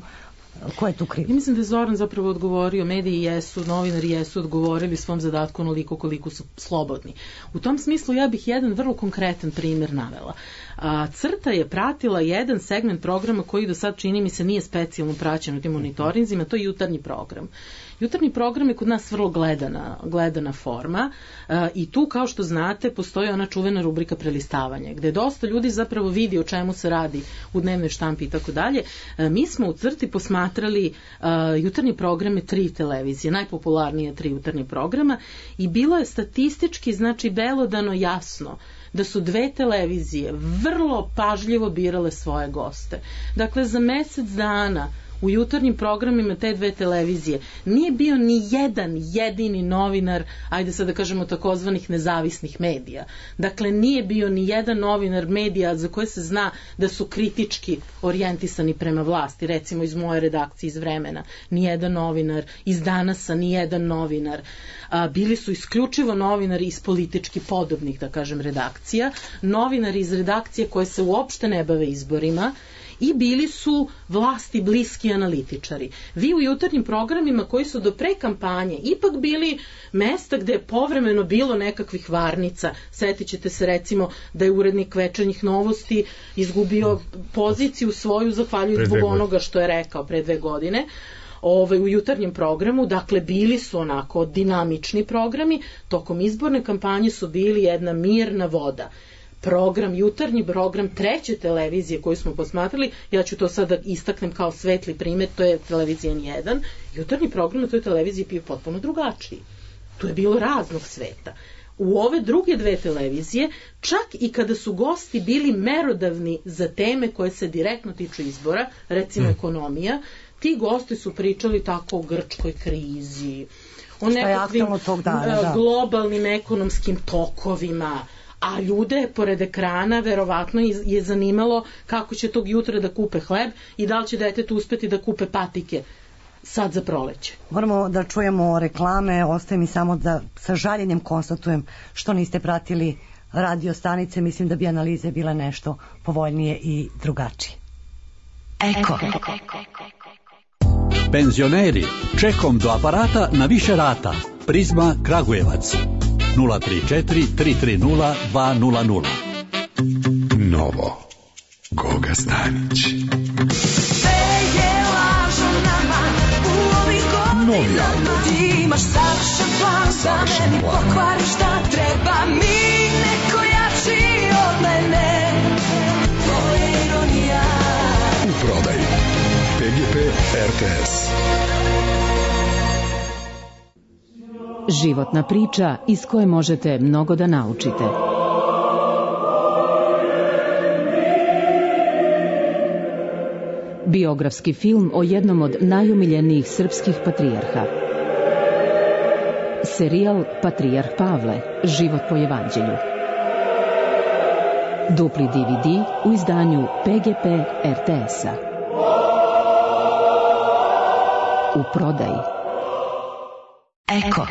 ko je tu kriv? Ja mislim da je Zoran zapravo odgovorio, mediji jesu, novinari jesu odgovorili svom zadatku onoliko koliko su slobodni. U tom smislu ja bih jedan vrlo konkretan primjer navela. A, Crta je pratila jedan segment programa koji do sad, čini mi se, nije specijalno praćen u tim monitorinzima, to je jutarnji program. Jutarnji program je kod nas vrlo gledana, gledana forma a, i tu, kao što znate, postoji ona čuvena rubrika prelistavanja, gde dosta ljudi zapravo vidi o čemu se radi u dnevnoj štampi i tako dalje. Mi smo u Crti posmatrali a, jutarnji programe tri televizije, najpopularnije tri jutarnji programa, i bilo je statistički, znači, belodano jasno da su dve televizije vrlo pažljivo birale svoje goste. Dakle, za mesec dana u jutarnjim programima te dve televizije nije bio ni jedan jedini novinar, ajde sad da kažemo takozvanih nezavisnih medija. Dakle, nije bio ni jedan novinar medija za koje se zna da su kritički orijentisani prema vlasti. Recimo iz moje redakcije iz Vremena, ni jedan novinar, iz Danasa ni jedan novinar. A, bili su isključivo novinari iz politički podobnih, da kažem, redakcija, novinari iz redakcije koje se uopšte ne bave izborima, i bili su vlasti bliski analitičari. Vi u jutarnjim programima koji su do pre kampanje ipak bili mesta gde je povremeno bilo nekakvih varnica. Setit ćete se recimo da je urednik Večernjih novosti izgubio poziciju svoju zahvaljujući zbog onoga što je rekao pre dve godine. Ove, u jutarnjem programu, dakle bili su onako dinamični programi, tokom izborne kampanje su bili jedna mirna voda. program, jutarnji program treće televizije koju smo posmatrali, ja ću to sada istaknem kao svetli primjer, to je televizija N jedan, jutarnji program na toj televiziji je bio potpuno drugačiji. Tu je bilo raznog sveta. U ove druge dve televizije, čak i kada su gosti bili merodavni za teme koje se direktno tiču izbora, recimo ekonomija, ti gosti su pričali tako o grčkoj krizi, o nekakvim dana, globalnim ekonomskim tokovima, a ljude pored ekrana verovatno je zanimalo kako će tog jutra da kupe hleb i da li će detetu uspeti da kupe patike sad za proleće. Moramo da čujemo reklame, ostaje mi samo da sa žaljenjem konstatujem što niste pratili radio stanice, mislim da bi analize bile nešto povoljnije i drugačije. Eko. Penzioneri, čekom do aparata na više rata. Prizma Kragujevac. nula tri četiri tri tri nula dva nula nula. Novo. Goga Stanić. Novi album. Ti imaš savršen plan za meni, pokvari šta treba mi, neko jači od mene. To je ironija. U prodaji P G P R T S. Životna priča iz koje možete mnogo da naučite. Biografski film o jednom od najumiljenijih srpskih patrijarha. Serijal Patrijarh Pavle, život po evanđelju. Dupli D V D u izdanju P G P R T S-a. U prodaji. Eko.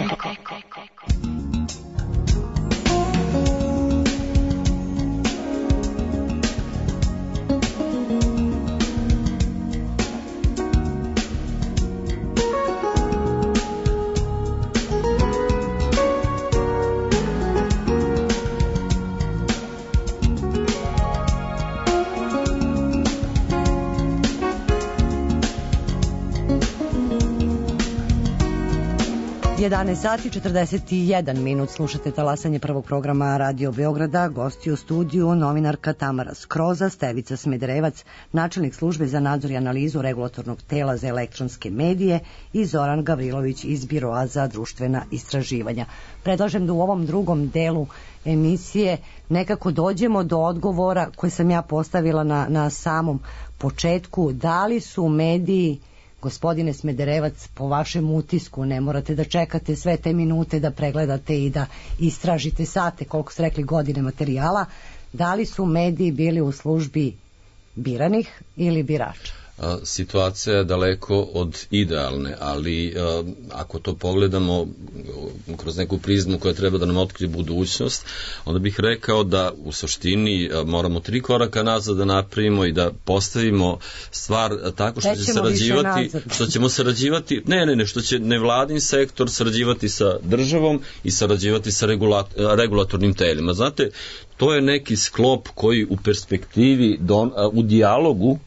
jedanaest sati četrdeset jedan minut, slušate talasanje prvog programa Radio Beograda, gosti u studiju novinarka Tamara Skroza, Stevica Smederevac, načelnik službe za nadzor i analizu regulatornog tela za elektronske medije i Zoran Gavrilović iz Biroa za društvena istraživanja. Predlažem da u ovom drugom delu emisije nekako dođemo do odgovora koje sam ja postavila na, na samom početku. Da li su mediji, gospodine Smederevac, po vašem utisku, ne morate da čekate sve te minute da pregledate i da istražite sate, koliko ste rekli godine materijala, da li su mediji bili u službi biranih ili birača? Situacija je daleko od idealne, ali ako to pogledamo kroz neku prizmu koja treba da nam otkrije budućnost, onda bih rekao da u suštini moramo tri koraka nazad da napravimo i da postavimo stvar tako što će sarađivati, što ćemo sarađivati, ne, ne, ne, što će nevladin sektor sarađivati sa državom i sarađivati sa regulatornim telima. Znate, to je neki sklop koji u perspektivi, don, u dijalogu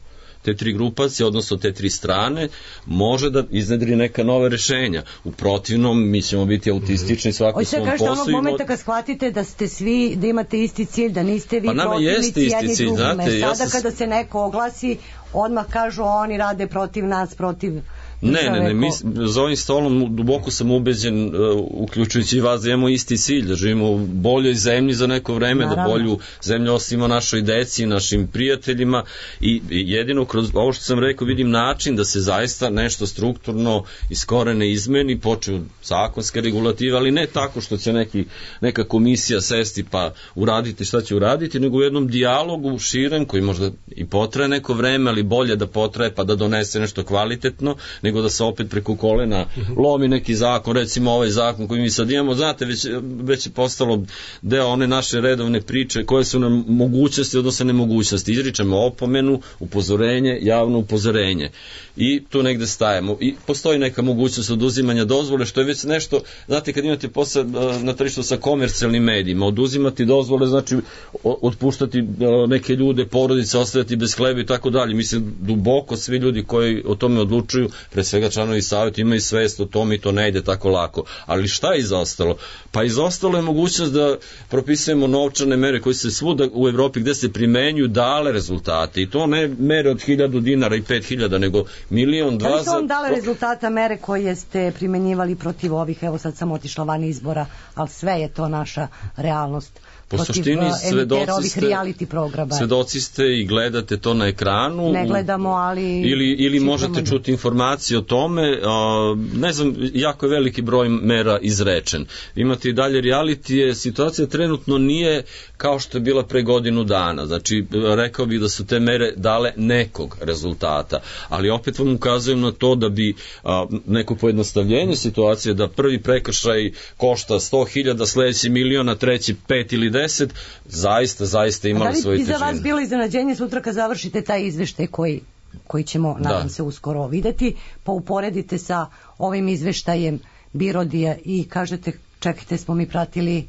te tri grupacije, odnosno te tri strane, može da iznedri neka nova rešenja. U protivnom, mi ćemo biti autistični svako svom poslu. Hoćete kažete onog momenta kad shvatite da ste svi, da imate isti cilj, da niste vi pa protivnici jedni cilj, drugime. znate, Sada ja sam... kada se neko oglasi, odmah kažu oni rade protiv nas, protiv... Ne, ne, ne, mi za ovim stolom duboko sam ubeđen, uh, uključujući i vas, da imamo isti cilj, da živimo u boljoj zemlji za neko vreme, naravno, da bolju zemlju ostavimo našoj deci, našim prijateljima i, i jedino kroz ovo što sam rekao vidim način da se zaista nešto strukturno iz korene izmeni, počeo zakonske regulative, ali ne tako što će neki, neka komisija sesti pa uraditi šta će uraditi, nego u jednom dijalogu širem koji možda i potraje neko vreme, ali bolje da potraje pa da donese nešto kvalitetno, nego da se opet preko kolena lomi neki zakon, recimo ovaj zakon koji mi sad imamo, znate, već, već je postalo deo one naše redovne priče koje su nam mogućnosti, odnosno nemogućnosti. Izričemo opomenu, upozorenje, javno upozorenje i tu negde stajemo. I postoji neka mogućnost oduzimanja dozvole, što je već nešto, znate, kad imate posao na tržištu sa komercijalnim medijima, oduzimati dozvole znači otpuštati neke ljude, porodice, ostaviti bez hleba i tako dalje. Mislim, duboko svi ljudi koji o tome odlučuju pre svega članovi savjeta imaju svest o tom i to ne ide tako lako. Ali šta je izostalo? Pa izostalo je mogućnost da propisujemo novčane mere koje se svuda u Evropi gde se primenjuju dale rezultate i to ne mere od hiljadu dinara i pet hiljada, nego milion, dva... Da li su vam dale rezultata mere koje ste primenjivali protiv ovih, evo sad sam otišla van izbora, ali sve je to naša realnost. Po suštini svedoci ste, programa. svedoci ste i gledate to na ekranu. Ne gledamo, ali... Ili, ili možete čuti informacije o tome. A, ne znam, jako je veliki broj mera izrečen. Imate i dalje realitije. Situacija trenutno nije kao što je bila pre godinu dana. Znači, rekao bih da su te mere dale nekog rezultata. Ali opet vam ukazujem na to da bi a, neko pojednostavljenje situacije, da prvi prekršaj košta sto hiljada, sledeći miliona, treći pet ili deset, zaista, zaista imali svoju težinu. Da li bi za vas bilo iznenađenje sutra kad završite taj izveštaj koji, koji ćemo, nadam da. se, uskoro videti, pa uporedite sa ovim izveštajem Birodija i kažete, čekajte, smo mi pratili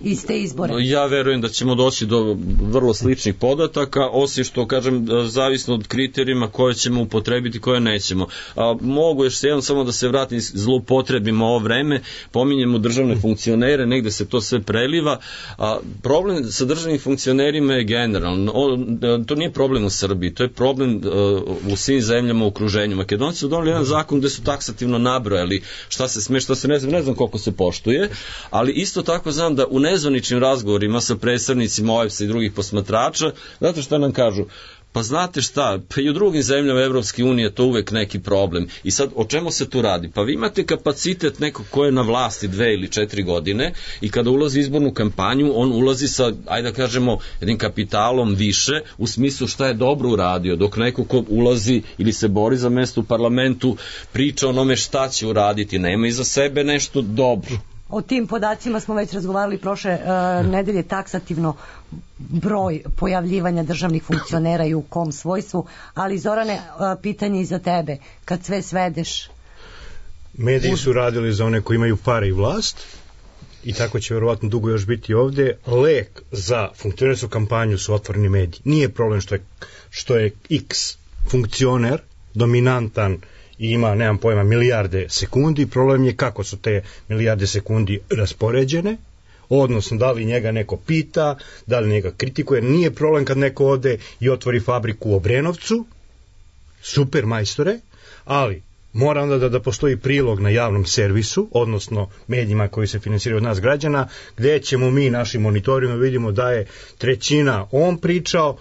iste izbore? Ja verujem da ćemo doći do vrlo sličnih podataka, osim što, kažem, zavisno od kriterijuma koje ćemo upotrebiti, koje nećemo. A, mogu još jednom samo da se vratim, zloupotrebimo ovo vreme, pominjemo državne funkcionere, negde se to sve preliva. A, problem sa državnim funkcionerima je generalno. O, to nije problem u Srbiji, to je problem a, u svim zemljama u okruženju. Makedonci su doneli jedan zakon gde su taksativno nabrojali šta se sme, šta se ne znam, ne znam koliko se poštuje, ali isto tako znam da u nezvaničnim razgovorima sa predstavnicima O E B S-a i drugih posmatrača, znate šta nam kažu? Pa znate šta, pa i u drugim zemljama Evropske unije to uvek neki problem. I sad, o čemu se tu radi? Pa vi imate kapacitet nekog ko je na vlasti dve ili četiri godine i kada ulazi u izbornu kampanju, on ulazi sa, ajde da kažemo, jednim kapitalom više, u smislu šta je dobro uradio, dok neko ko ulazi ili se bori za mesto u parlamentu, priča o onome šta će uraditi, nema iza sebe nešto dobro. O tim podacima smo već razgovarali prošle uh, nedelje, taksativno broj pojavljivanja državnih funkcionera i u kom svojstvu, ali Zorane, uh, pitanje i za tebe, kad sve svedeš... Mediji su radili za one koji imaju pare i vlast i tako će verovatno dugo još biti ovde. Lek za funkcionersku kampanju su otvoreni mediji. Nije problem što je, što je X funkcioner dominantan i ima, nemam pojma, milijarde sekundi, problem je kako su te milijarde sekundi raspoređene, odnosno da li njega neko pita, da li njega kritikuje. Nije problem kad neko ode i otvori fabriku u Obrenovcu, super majstore, ali mora onda da, da postoji prilog na javnom servisu, odnosno medijima koji se finansiraju od nas građana, gde ćemo mi našim monitorima vidimo da je trećina on pričao,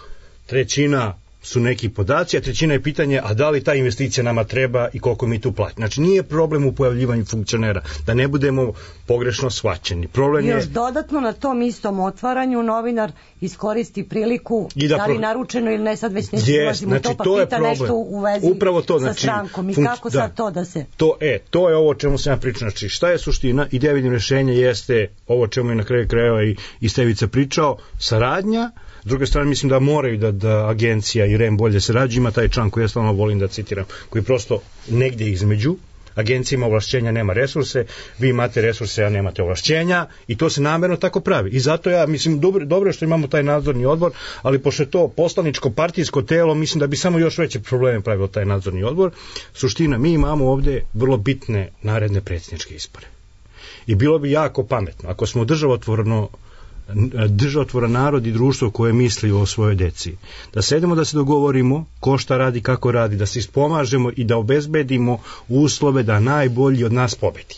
trećina su neki podaci, a trećina je pitanje, a da li ta investicija nama treba i koliko mi tu plati. Znači, nije problem u pojavljivanju funkcionera, da ne budemo pogrešno shvaćeni. Problem još je... dodatno na tom istom otvaranju novinar iskoristi priliku, da, da li pro... naručeno ili ne, sad već neću yes, ulazimo znači, u to, pa to pita nešto u vezi upravo to, sa znači, strankom i func... kako da. sad to da se... To, e, to je ovo o čemu sam ja pričao. Znači, šta je suština? Ideja vidim rešenja jeste ovo o čemu je na kraju krajeva i, i Stevica pričao, saradnja. S druge strane, mislim da moraju da, da agencija i R E M bolje sarađuju. Ima taj član koji ja stvarno volim da citiram, koji prosto negdje između. Agencija ima ovlašćenja, nema resurse, vi imate resurse, a nemate ovlašćenja i to se namerno tako pravi. I zato ja, mislim, dobro, dobro je što imamo taj nadzorni odbor, ali pošto je to poslaničko partijsko telo, mislim da bi samo još veće probleme pravilo taj nadzorni odbor. Suština, mi imamo ovde vrlo bitne naredne predsjedničke izbore. I bilo bi jako pametno, ako smo državotvorno državotvoran narod i društvo koje misli o svojoj deci. Da sedemo da se dogovorimo ko šta radi, kako radi, da se ispomažemo i da obezbedimo uslove da najbolji od nas pobedi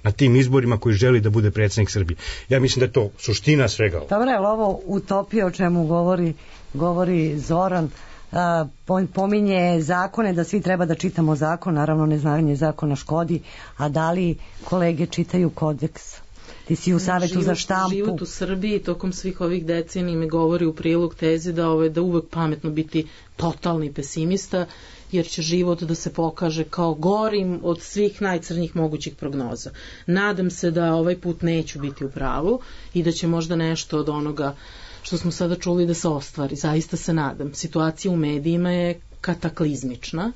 na tim izborima koji želi da bude predsjednik Srbije. Ja mislim da je to suština svega ovo. Dobro, je li ovo utopija o čemu govori, govori Zoran? Uh, pominje zakone, da svi treba da čitamo zakon, naravno neznanje zakona škodi, a da li kolege čitaju kodeks? Ti si u Savetu život, za štampu. Život u Srbiji tokom svih ovih decenija mi govori u prilog tezi da, ove, da uvek pametno biti totalni pesimista, jer će život da se pokaže kao gorim od svih najcrnjih mogućih prognoza. Nadam se da ovaj put neću biti u pravu i da će možda nešto od onoga što smo sada čuli da se ostvari. Zaista se nadam. Situacija u medijima je kataklizmična.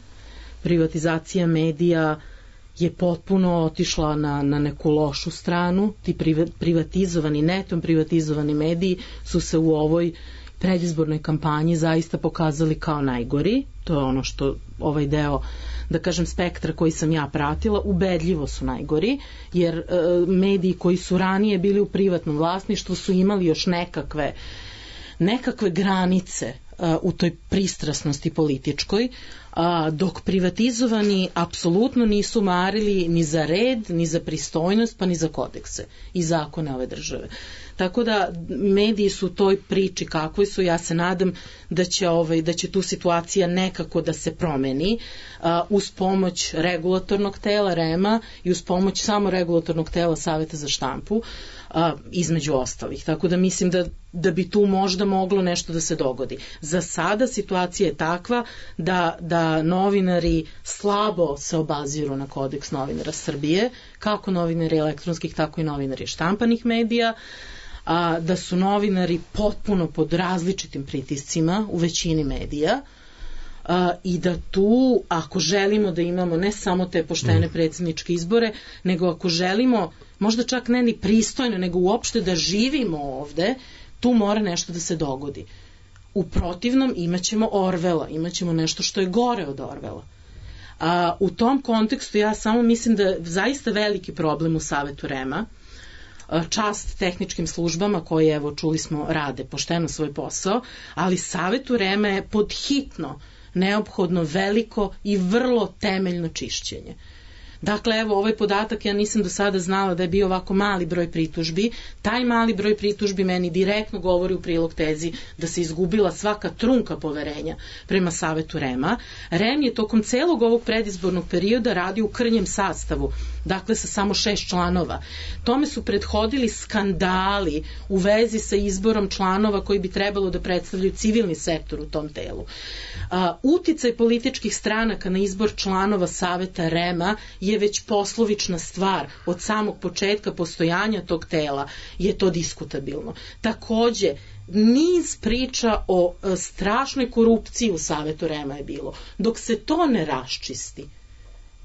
Privatizacija medija je potpuno otišla na, na neku lošu stranu. Ti privatizovani, netom privatizovani mediji su se u ovoj predizbornoj kampanji zaista pokazali kao najgori. To je ono što ovaj deo, da kažem, spektra koji sam ja pratila, ubedljivo su najgori, jer e, mediji koji su ranije bili u privatnom vlasništvu su imali još nekakve nekakve granice a, u toj pristrasnosti političkoj, a, dok privatizovani apsolutno nisu marili ni za red, ni za pristojnost, pa ni za kodekse i zakone ove države. Tako da mediji su u toj priči kakvoj su, ja se nadam da će, ovaj, da će tu situacija nekako da se promeni a, uz pomoć regulatornog tela REM-a i uz pomoć samo regulatornog tela Saveta za štampu, a, između ostalih. Tako da mislim da, da bi tu možda moglo nešto da se dogodi. Za sada situacija je takva da, da novinari slabo se obaziru na kodeks novinara Srbije, kako novinari elektronskih, tako i novinari štampanih medija, a, da su novinari potpuno pod različitim pritiscima u većini medija, a, i da tu, ako želimo da imamo ne samo te poštene predsjedničke izbore, nego ako želimo, možda čak ne ni pristojno, nego uopšte da živimo ovde, tu mora nešto da se dogodi. U protivnom imaćemo Orvela, imaćemo nešto što je gore od Orvela. A, u tom kontekstu ja samo mislim da je zaista veliki problem u Savetu REM-a, čast tehničkim službama koje, evo, čuli smo, rade pošteno svoj posao, ali Savetu REM-a je podhitno neophodno veliko i vrlo temeljno čišćenje. Dakle, evo, ovaj podatak ja nisam do sada znala da je bio ovako mali broj pritužbi. Taj mali broj pritužbi meni direktno govori u prilog tezi da se izgubila svaka trunka poverenja prema Savetu REM-a. REM je tokom celog ovog predizbornog perioda radio u krnjem sastavu, dakle sa samo šest članova. Tome su prethodili skandali u vezi sa izborom članova koji bi trebalo da predstavljaju civilni sektor u tom telu. A, uticaj političkih stranaka na izbor članova Saveta REM-a je već poslovična stvar. Od samog početka postojanja tog tela je to diskutabilno. Takođe, niz priča o e, strašnoj korupciji u Savetu REM-a je bilo. Dok se to ne raščisti,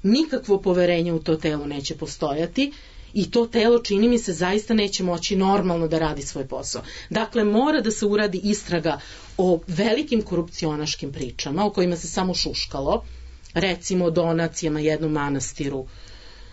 nikakvo poverenje u to telo neće postojati i to telo, čini mi se, zaista neće moći normalno da radi svoj posao. Dakle, mora da se uradi istraga o velikim korupcionaškim pričama o kojima se samo šuškalo, recimo o donacijama jednom manastiru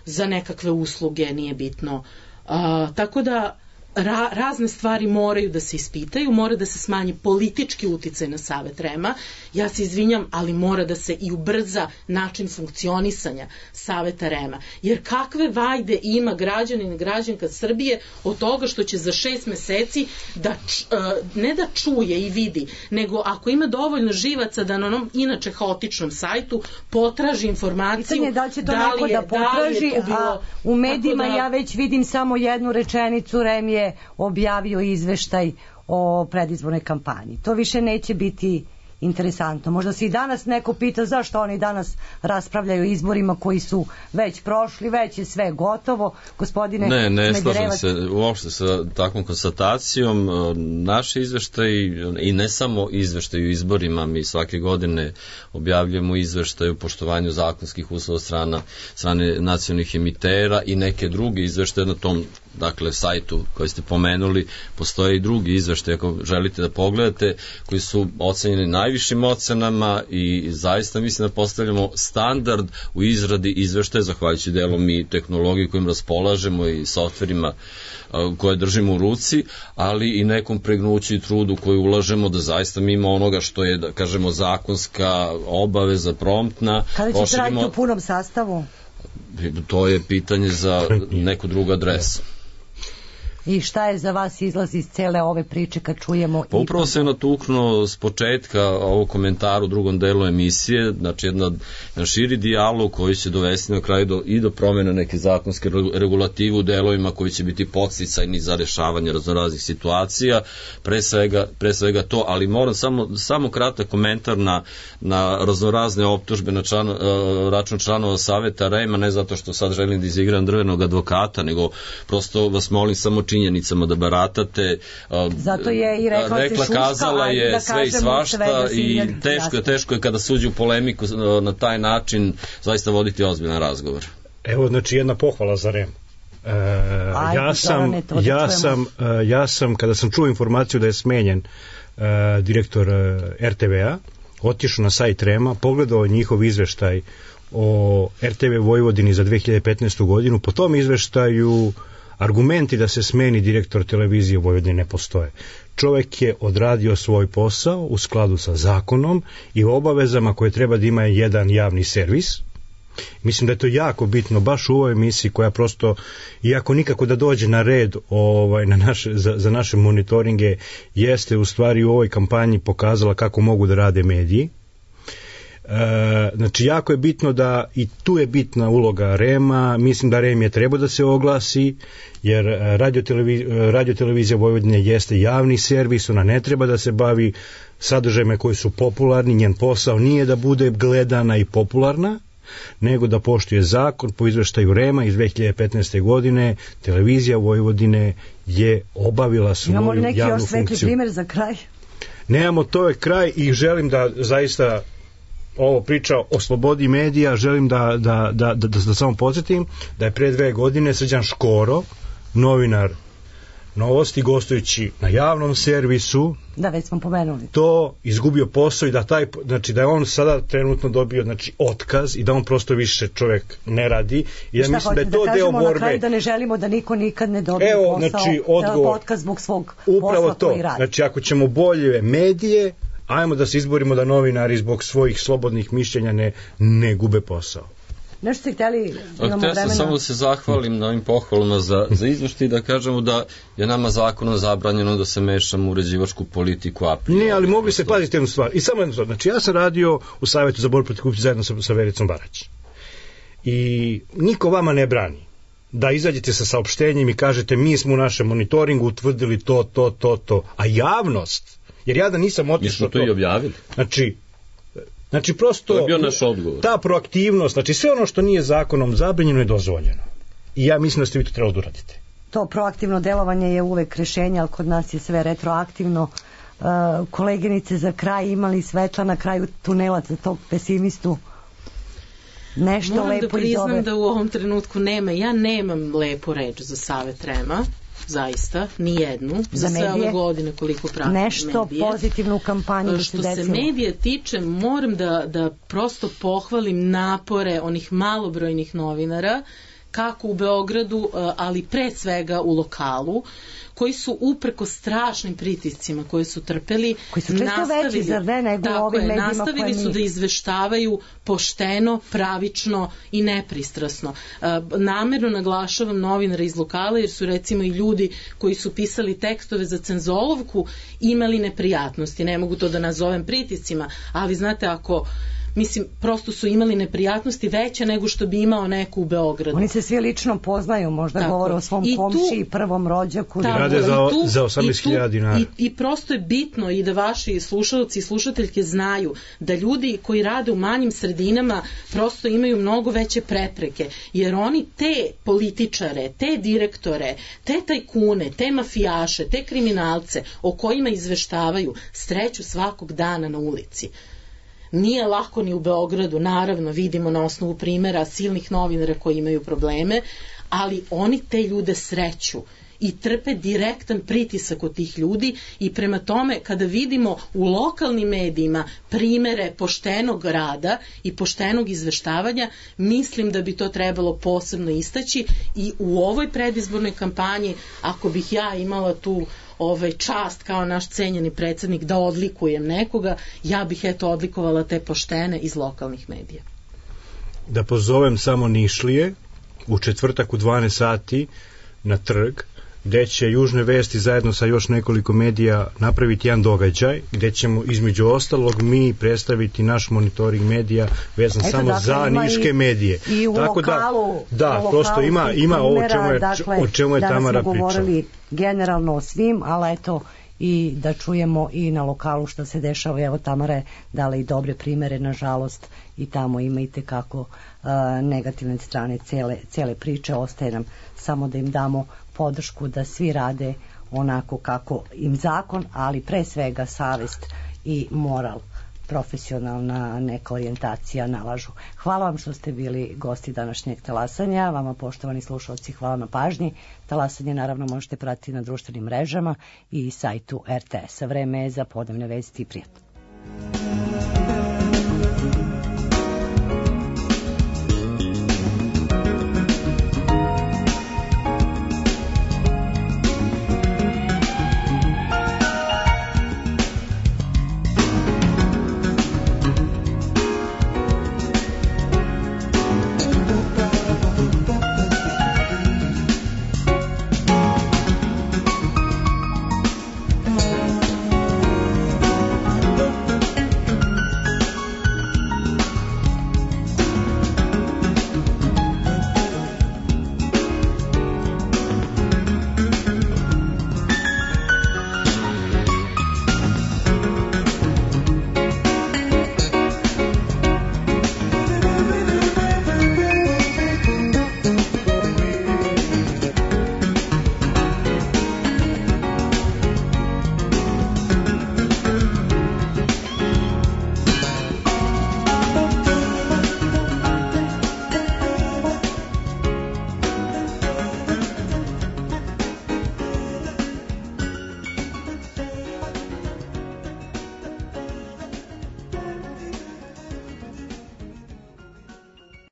za nekakve usluge, nije bitno. A, tako da ra, razne stvari moraju da se ispitaju, mora da se smanji politički uticaj na Savet REM-a. Ja se izvinjam, ali mora da se i ubrza način funkcionisanja Saveta REM-a. Jer kakve vajde ima građanin i građanka Srbije od toga što će za šest meseci da, ne da čuje i vidi, nego ako ima dovoljno živaca da na onom inače haotičnom sajtu potraži informaciju. Pitanje da li će to da neko je, da potraži, da bilo, a u medijima da, ja već vidim samo jednu rečenicu, REM je objavio izveštaj o predizbornoj kampanji. To više neće biti interesantno. Možda se i danas neko pita zašto oni danas raspravljaju o izborima koji su već prošli, već je sve gotovo. Gospodine Ne, ne Smederevac... slažem se uopšte sa takvom konstatacijom. Naši izveštaj i ne samo izveštaj u izborima, mi svake godine objavljujemo izveštaj o poštovanju zakonskih uslova strana, strane nacionalnih emitera i neke druge izveštaje na tom, dakle, sajtu koji ste pomenuli. Postoje i drugi izveštaj, ako želite da pogledate, koji su ocenjeni najvišim ocenama i zaista mislim da postavljamo standard u izradi izveštaja, zahvaljujući delom i tehnologiji kojim raspolažemo i softverima koje držimo u ruci, ali i nekom pregnuću i trudu koju ulažemo da zaista mimo onoga što je, da kažemo, zakonska obaveza promptna. Kada ćete raditi u punom sastavu? To je pitanje za neku drugu adresu. I šta je za vas izlaz iz cele ove priče kad čujemo... Pa upravo se natuknuo s početka ovog komentara u drugom delu emisije, znači jedna, jedan širi dijalog koji će dovesti na kraju do, i do promjene neke zakonske regulative u delovima koji će biti podsticajni za rešavanje raznoraznih situacija, pre svega, pre svega to, ali moram samo, samo kratak komentar na, na raznorazne optužbe na član, račun članova Saveta REM-a, ne zato što sad želim da izigram drvenog advokata, nego prosto vas molim samo činjenicama da baratate. Zato je i rekla, rekla šuška, kazala je da sve i svašta i teško je, teško je kada suđe u polemiku na taj način zaista voditi ozbiljan razgovor. Evo, znači, jedna pohvala za REM. E, ja sam, ja sam, ja sam, kada sam čuo informaciju da je smenjen e, direktor e, er te ve a, otišao na sajt Rema, pogledao njihov izveštaj o er te ve Vojvodini za dve hiljade petnaestu godinu, po tom izveštaju argumenti da se smeni direktor televizije Vojvodine ne postoje. Čovek je odradio svoj posao u skladu sa zakonom i obavezama koje treba da ima jedan javni servis. Mislim da je to jako bitno baš u ovoj emisiji koja prosto, iako nikako da dođe na red ovaj, na naše, za, za naše monitoringe, jeste u stvari u ovoj kampanji pokazala kako mogu da rade mediji. E, znači jako je bitno da i tu je bitna uloga Rema. Mislim da Rem je treba da se oglasi, jer radiotelevizija, radiotelevizija Vojvodine jeste javni servis, ona ne treba da se bavi sadržajima koji su popularni, njen posao nije da bude gledana i popularna, nego da poštuje zakon. Po izveštaju Rema iz dve hiljade petnaeste. godine televizija Vojvodine je obavila svoju javnu funkciju. Imamo li neki još svetli primjer za kraj? Nemamo, to je kraj i želim da zaista ovo priča o slobodi medija, želim da, da, da, da, da, da samo podsjetim da je pre dve godine Srđan Škoro, novinar Novosti, gostujući na javnom servisu, da već smo pomenuli, to izgubio posao i da taj, znači da je on sada trenutno dobio znači otkaz i da on prosto više čovjek ne radi i ja mislim da je to da deo borbe. Na kraju da ne želimo da niko nikad ne dobije Evo, posao, znači, odgovor, otkaz zbog svog upravo posla to. koji radi. Znači ako ćemo bolje medije, ajmo da se izborimo da novinari zbog svojih slobodnih mišljenja ne, ne gube posao. Nešto ste htjeli, imamo vremena? Htio sam samo da se zahvalim na ovim pohvalama za, za izveštaj i da kažemo da je nama zakonom zabranjeno da se mešamo u uređivačku politiku a priori. Ne, ali mogli se paziti jednu stvar. I samo jednu stvar. Znači ja sam radio u Savjetu za borbu protiv korupcije zajedno sa, sa Vericom Barać. I niko vama ne brani da izađete sa saopštenjem i kažete mi smo u našem monitoringu utvrdili to, to, to, to. A javnost, jer ja da nisam otišao... Mi smo to, to i objavili. Znači, Znači prosto to je bio naš odgovor. Ta proaktivnost, znači sve ono što nije zakonom zabranjeno je dozvoljeno. I ja mislim da ste vi to trebali da uradite. To proaktivno delovanje je uvek rešenje, ali kod nas je sve retroaktivno. Uh, koleginice, za kraj imali svetla na kraju tunela za tog pesimistu? Nešto Moram lepo iz ove... Moram da priznam da u ovom trenutku nema. Ja nemam lepu reč za Savet Rema. Zaista, ni jednu, za, za sve ove godine koliko pratim nešto medije. Pozitivno u kampanji da se desilo. Što se medije tiče, moram da, da prosto pohvalim napore onih malobrojnih novinara, kako u Beogradu, ali pre svega u lokalu, koji su upreko strašnim pritiscima koje su trpeli, koji su često veći, zar ne, nego tako ovim je, medijima nastavili su mi... da izveštavaju pošteno, pravično i nepristrasno. Namerno naglašavam novinara iz lokala, jer su recimo i ljudi koji su pisali tekstove za cenzolovku imali neprijatnosti. Ne mogu to da nazovem pritiscima, ali znate, ako mislim, prosto su imali neprijatnosti veće nego što bi imao neko u Beogradu. Oni se svi lično poznaju, možda tako govore o svom komšiji, prvom rođaku. I rade za, tu, za osamnaest hiljada dinara. I, I prosto je bitno i da vaši slušalci i slušateljke znaju da ljudi koji rade u manjim sredinama prosto imaju mnogo veće prepreke, jer oni te političare, te direktore, te tajkune, te mafijaše, te kriminalce o kojima izveštavaju sreću svakog dana na ulici. Nije lako ni u Beogradu, naravno vidimo na osnovu primjera silnih novinara koji imaju probleme, ali oni te ljude sreću i trpe direktan pritisak od tih ljudi i prema tome kada vidimo u lokalnim medijima primere poštenog rada i poštenog izveštavanja, mislim da bi to trebalo posebno istaći i u ovoj predizbornoj kampanji, ako bih ja imala tu ovaj čast kao naš cenjeni predsjednik da odlikujem nekoga, ja bih eto odlikovala te poštene iz lokalnih medija. Da pozovem samo Nišlije u četvrtak u dvanaest sati na trg, gde će Južne vesti zajedno sa još nekoliko medija napraviti jedan događaj, gde ćemo između ostalog mi predstaviti naš monitoring medija vezan Eto, samo dakle, za niške i, medije. I u Tako lokalu, da, da u lokalu prosto ima, ima ovo čemu je, dakle, o čemu je Tamara pričala. Danas smo govorili generalno o svim, ali eto i da čujemo i na lokalu što se dešava. Evo Tamara je dala i dobre primere, nažalost i tamo ima i tekako uh, negativne strane cele, cele priče. Ostaje nam samo da im damo podršku da svi rade onako kako im zakon, ali pre svega savest i moral profesionalna neka orijentacija nalažu. Hvala vam što ste bili gosti današnjeg talasanja. Vama, poštovani slušalci, hvala na pažnji. Talasanje naravno možete pratiti na društvenim mrežama i sajtu er te es-a. Vreme je za podnevne vesti i prijatno.